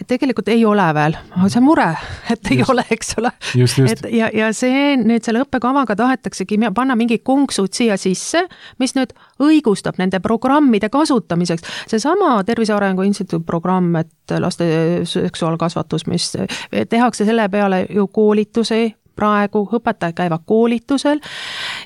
Tegelikult ei ole veel, aga see mure, et ei just. ole, eks ole. Just, just. Et ja, ja see nüüd selle õppekavaga tahetaksegi panna mingi konksud siia sisse, mis nüüd õigustab nende programmide kasutamiseks. See sama Tervise Arengu Instituudi programm, et laste seksuaalkasvatus, mis tehakse selle peale ju koolitusi, praegu õpetajad käivad koolitusel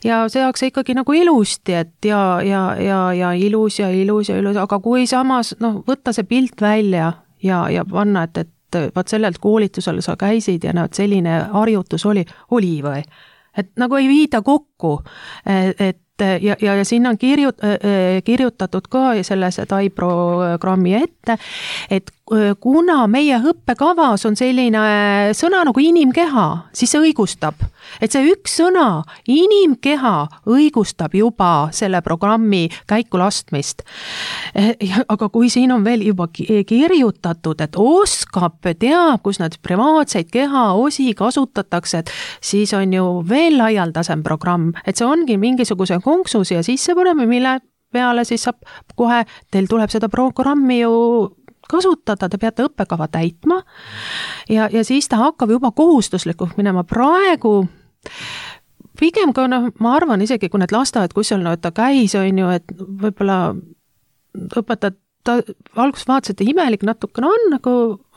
ja seakse ikkagi nagu ilusti, et ja, ja, ja, ja ilus ja ilus ja ilus, aga kui samas noh, võtta see pilt välja ja, ja panna, et, et vaat sellelt koolitusel sa käisid ja näed, selline harjutus oli, oli või? Et nagu ei viida kokku, et ja, ja, ja sinna on kirjut, kirjutatud ka selles T A I programmi ette, et kuna meie õppekavas on selline sõna nagu inimkeha, siis see õigustab. Et see üks sõna, inimkeha, õigustab juba selle programmi käikulastmist. Aga kui siin on veel juba kirjutatud, et oskab, teab, kus nad privaatseid kehaosi kasutatakse, et siis on ju veel laialdasem programm. Et see ongi mingisuguse konksu siia sisse paneme, mille peale siis saab kohe, teil tuleb seda programmi ju kasutada, te peate õppekava täitma ja, ja siis ta hakkab juba kohustuslikuks minema. Praegu pigem ka, no, ma arvan isegi, kui need lasteaed, kus seal no, ta käis, on ju, et võib-olla õpetajad ta alguses vaatas, et imelik natukene on, nagu,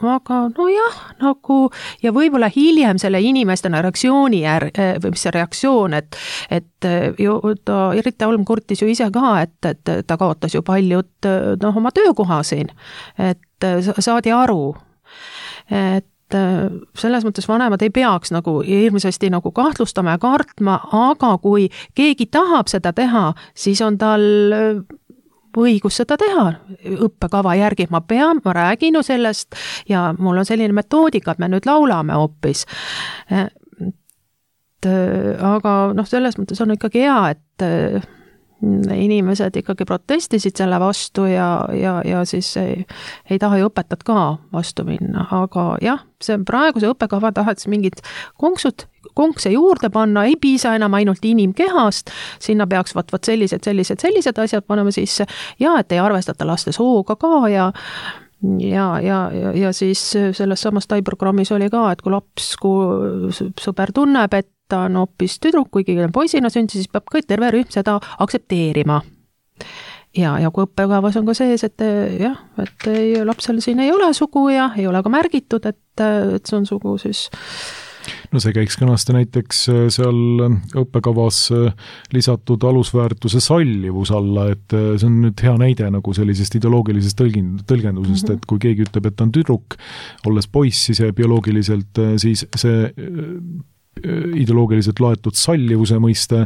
aga no jah, nagu, ja võib-olla hiljem selle inimestena reaktsiooni jär, või mis see reaktsioon, et, et ju ta, Irita Olm kurtis ju ise ka, et, et ta kaotas ju paljud noh, oma töökoha siin, et saadi aru, et selles mõttes vanemad ei peaks nagu hirmsasti nagu kahtlustama ja kartma, aga kui keegi tahab seda teha, siis on tal õigus seda teha õppekava järgi. Ma pean, ma räägin ju sellest ja mul on selline metoodika, et me nüüd laulame hoopis. Et, aga noh, selles mõttes on ikkagi hea, et inimesed ikkagi protestisid selle vastu ja, ja, ja siis ei, ei taha ju õpetajad ka vastu minna, aga jah, see praeguse õppekava tahaks mingid konksud, konkse juurde panna, ei piisa enam ainult inimkehast, sinna peaks vaat, vaat sellised, sellised, sellised asjad panema sisse ja et ei arvestata laste sooga ka ja ja, ja, ja, ja siis selles samas T A I programmis oli ka, et kui laps, kui sõber tunneb, et ta on hoopis tüdruk, kuigi poisina sündis, siis peab kõik terve rühm seda aktsepteerima. Ja, ja kui õppekavas on ka sees, et jah, et ei, lapsel siin ei ole sugu ja ei ole ka märgitud, et, et see on sugu siis. No see käiks kenasti näiteks seal õppekavas lisatud alusväärtuse sallivus alla, et see on nüüd hea näide nagu sellisest ideoloogilisest tõlgendusest, mm-hmm. et kui keegi ütleb, et ta on tüdruk, olles poiss, siis bioloogiliselt siis see ideoloogiliselt laetud sallivuse mõiste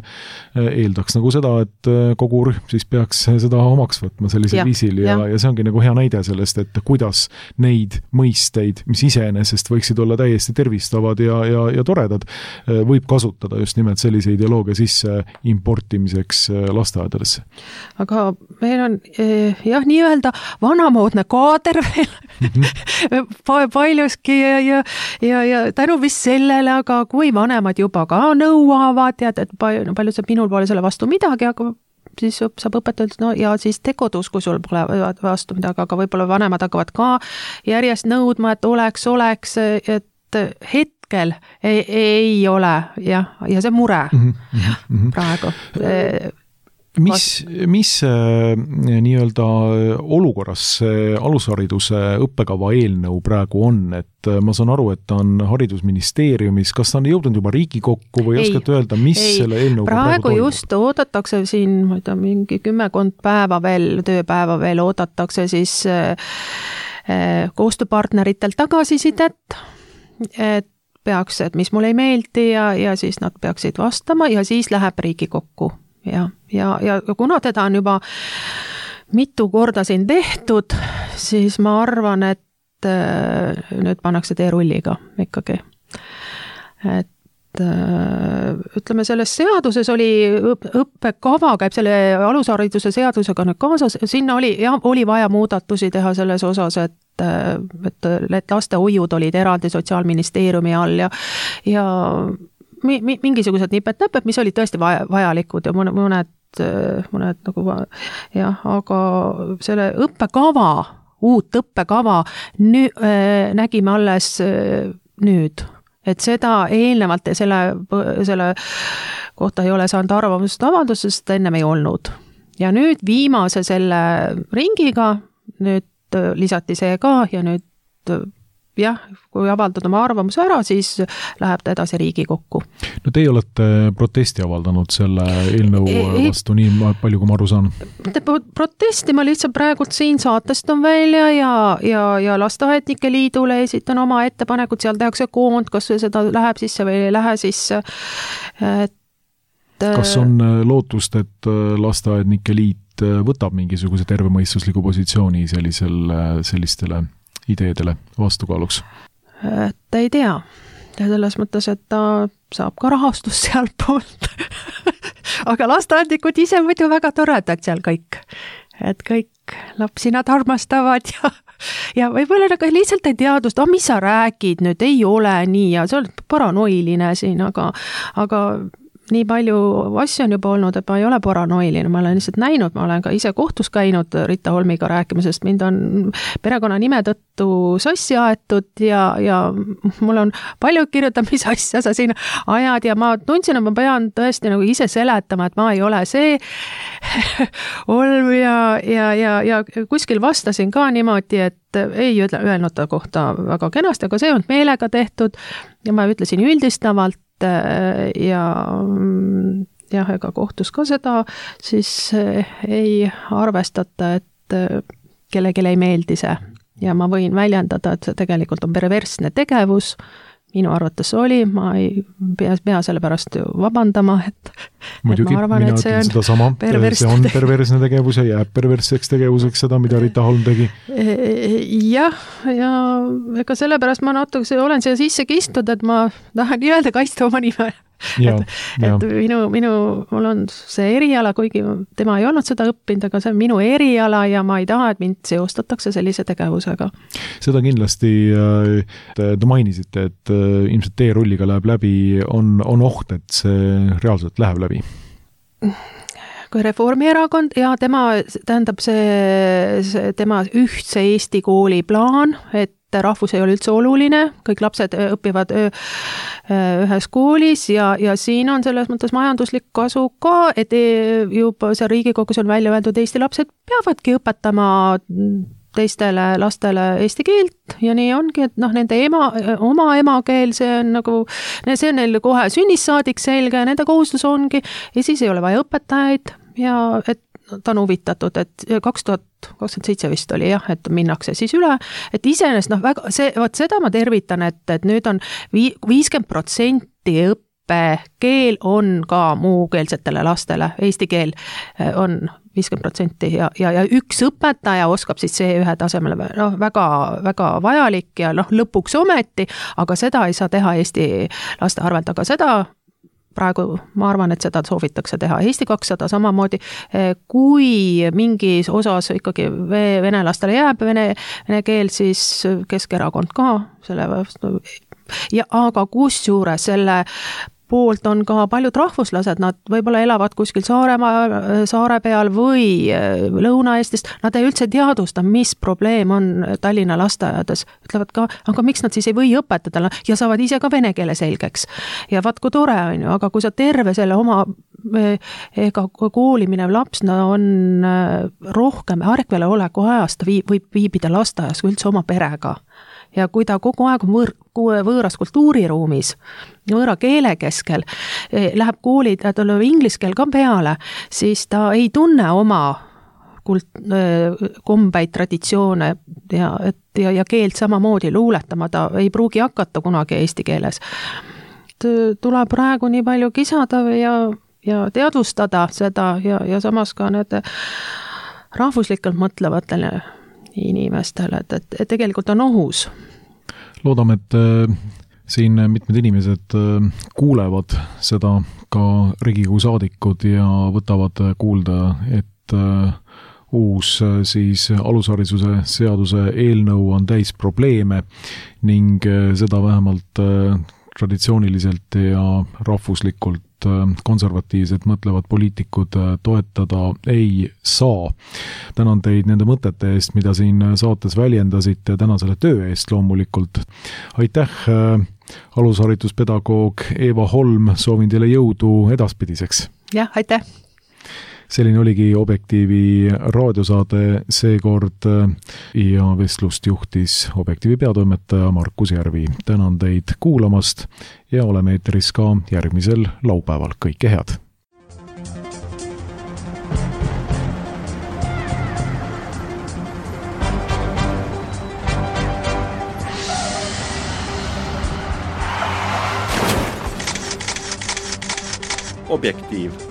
eeldaks nagu seda, et kogu rühm siis peaks seda omaks võtma sellisel ja, viisil ja, ja. ja see ongi nagu hea näide sellest, et kuidas neid mõisteid, mis iseenesest võiksid olla täiesti tervistavad ja, ja, ja toredad, võib kasutada just nimelt sellise ideoloogia sisse importimiseks lasteaedadesse. Aga meil on jah, nii-öelda vanamoodne kaader veel mm-hmm. paljuski ja, ja, ja, ja tänu vist sellele, aga kui vanemad juba ka nõuavad ja et palju, palju saab minul pole selle vastu midagi, aga siis saab õpetada, no ja siis tekodus, kui sul pole vastu midagi, aga võib-olla vanemad hakkavad ka järjest nõudma, et oleks, oleks, et hetkel ei, ei ole jah, ja see mure mm-hmm. praegu. Mis, mis nii-öelda olukorras alushariduse õppekava eelnõu praegu on, et ma saan aru, et ta on haridusministeeriumis, kas ta on jõudnud juba Riigikokku või ei, oskate öelda, mis ei, selle eelnõuga praegu, praegu toimub? Just oodatakse siin, ma ei tea, mingi kümmekond päeva veel, tööpäeva veel oodatakse siis koostööpartneritelt tagasisidet, et peaks, et mis mulle ei meeldi ja, ja siis nad peaksid vastama ja siis läheb Riigikokku. Ja, ja, ja kuna teda on juba mitu korda siin tehtud, siis ma arvan, et nüüd pannakse teerulliga ikkagi. Et ütleme, selles seaduses oli õppekava, käib selle alushariduse seadusega nüüd kaasas, sinna oli, ja, oli vaja muudatusi teha selles osas, et et, et lastehoiud olid eraldi Sotsiaalministeeriumi all ja, ja mi, mi, mingisugused nipet-näpet, mis olid tõesti vaja, vajalikud ja mõned, mõned nagu jah, aga selle õppekava, uut õppekava nü, nägime alles nüüd, et seda eelnevalt ja selle, selle kohta ei ole saanud arvamust avaldusest, sest ennem ei olnud. Ja nüüd viimase selle ringiga, nüüd lisati see ka ja nüüd jah, kui avaldada oma arvamuse ära, siis läheb ta edasi Riigikokku. No teie olete protesti avaldanud selle eelnõu e vastu nii palju, kui ma aru saan. Protesti ma lihtsalt praegult siin saatest on välja ja, ja, ja Lasteaednike Liidule esitan oma ettepanekud, seal tehakse koond, kas seda läheb sisse või ei lähe sisse. Et, kas on lootust, et Lasteaednike Liit võtab mingisuguse tervemõistusliku positsiooni sellisel, sellistele ideedele vastukaaluks? Ta ei tea. Selles mõttes, et ta saab ka rahastust sealt poolt. Aga lasteaednikud ise muidu väga toredad seal kõik. Et kõik lapsi nad armastavad ja, ja võib-olla nagu lihtsalt ei teadust, oh, mis sa räägid nüüd, ei ole nii ja see on paranoiline siin, aga, aga nii palju asju on juba olnud, et ma ei ole paranoiline, ma olen lihtsalt näinud, ma olen ka ise kohtus käinud Rita Holmiga rääkimisest, mind on perekonna nime tõttu sassi aetud ja, ja mul on palju kirjutanud, mis asja sa siin ajad ja ma tundsin, et ma pean tõesti nagu ise seletama, et ma ei ole see Holm ja, ja, ja, ja kuskil vastasin ka niimoodi, et ei öelnud ta kohta väga kenasti, aga see on meelega tehtud ja ma ütlesin üldistavalt, ja jah, ega kohtus ka seda, siis ei arvestata, et kellelegi ei meeldi see ja ma võin väljendada, et see tegelikult on perversne tegevus, minu arvates oli, ma ei pea, pea selle pärast ju vabandama, et, muidugi, et ma arvan, et see on seda sama, see on perversne tegevus ja jääb perversseks tegevuseks seda, mida Rita Holm tegi. Jah, ja ega sellepärast ma natuke olen siia sisse kistud, et ma tahan öelda kaitsta oma nime. Ja, et, et minu, minu, mul on see eriala, kuigi tema ei olnud seda õppinud, aga see on minu eriala ja ma ei taha, et mind seostatakse sellise tegevusega. Seda kindlasti te mainisite, et ilmselt teerulliga läheb läbi, on, on oht, et see reaalselt läheb läbi? Kui Reformierakond ja tema, tähendab see, see tema ühtse Eesti kooli plaan, et rahvus ei ole üldse oluline, kõik lapsed õpivad ühes koolis ja, ja siin on selles mõttes majanduslik kasu ka, et juba see Riigikogus on välja öeldud, Eesti lapsed peavadki õpetama teistele lastele eesti keelt ja nii ongi, et noh, nende ema, oma emakeel, see on nagu, see on neil kohe sünnist saadik selge, nende kohustus ongi ja siis ei ole vaja õpetajaid ja et ta on huvitatud, et kaks tuhat kakskümmend seitse vist oli jah, et minnakse siis üle, et iseenesest noh, väga, see, vaat seda ma tervitan, et, et nüüd on viiskümmend protsenti õppekeel on ka muukeelsetele lastele, eesti keel on viiskümmend protsenti ja, ja, ja üks õpetaja oskab siis see ühe tasemele, noh, väga, väga vajalik ja noh, lõpuks ometi, aga seda ei saa teha eesti laste arvelt, aga seda praegu ma arvan, et seda soovitakse teha. Eesti kakssada samamoodi, kui mingis osas ikkagi venelastele jääb vene, vene keel, siis Keskerakond ka selle vastu. Ja, aga kusjuures selle poolt on ka paljud rahvuslased, nad võib-olla elavad kuskil Saaremaa, saare peal või Lõuna-Eestist, nad ei üldse teadusta, mis probleem on Tallinna lasteaedades. Ütlevad ka, aga miks nad siis ei või õpetada ja saavad ise ka vene keele selgeks. Ja vaat kui tore on ju, aga kui sa terve selle oma ega kooli minev laps no on rohkem ärkvele oleku ajast, ta viib, võib viibida lasteaias üldse oma perega. Ja kui ta kogu aeg on võõr, võõras kultuuriruumis, võõra keele keskel, läheb kooli, ta tuleb inglise keel ka peale, siis ta ei tunne oma kult, kombeid, traditsioone ja, et, ja, ja keelt samamoodi luuletama, ta ei pruugi hakata kunagi eesti keeles. Tuleb praegu nii palju kisada ja, ja teadvustada seda ja, ja samas ka need rahvuslikult mõtlevatele inimestele, et, et, et tegelikult on ohus. Loodame, et äh, siin mitmed inimesed äh, kuulevad seda ka Riigikogu saadikud ja võtavad kuulda, et äh, uus äh, siis alushariduse seaduse eelnõu on täis probleeme ning äh, seda vähemalt äh, traditsiooniliselt ja rahvuslikult konservatiivselt mõtlevad poliitikud toetada ei saa. Tänan teid nende mõtete eest, mida siin saates väljendasite, tänan selle töö eest loomulikult. Aitäh, alusharituspedagoog Eeva Holm, soovin teile jõudu edaspidiseks. Jah, aitäh! Selline oligi Objektiivi raadiosaade seekord ja vestlust juhtis Objektiivi peatoimetaja Markus Järvi. Tänan teid kuulamast ja oleme eeteris ka järgmisel laupäeval. Kõike head! Objektiiv.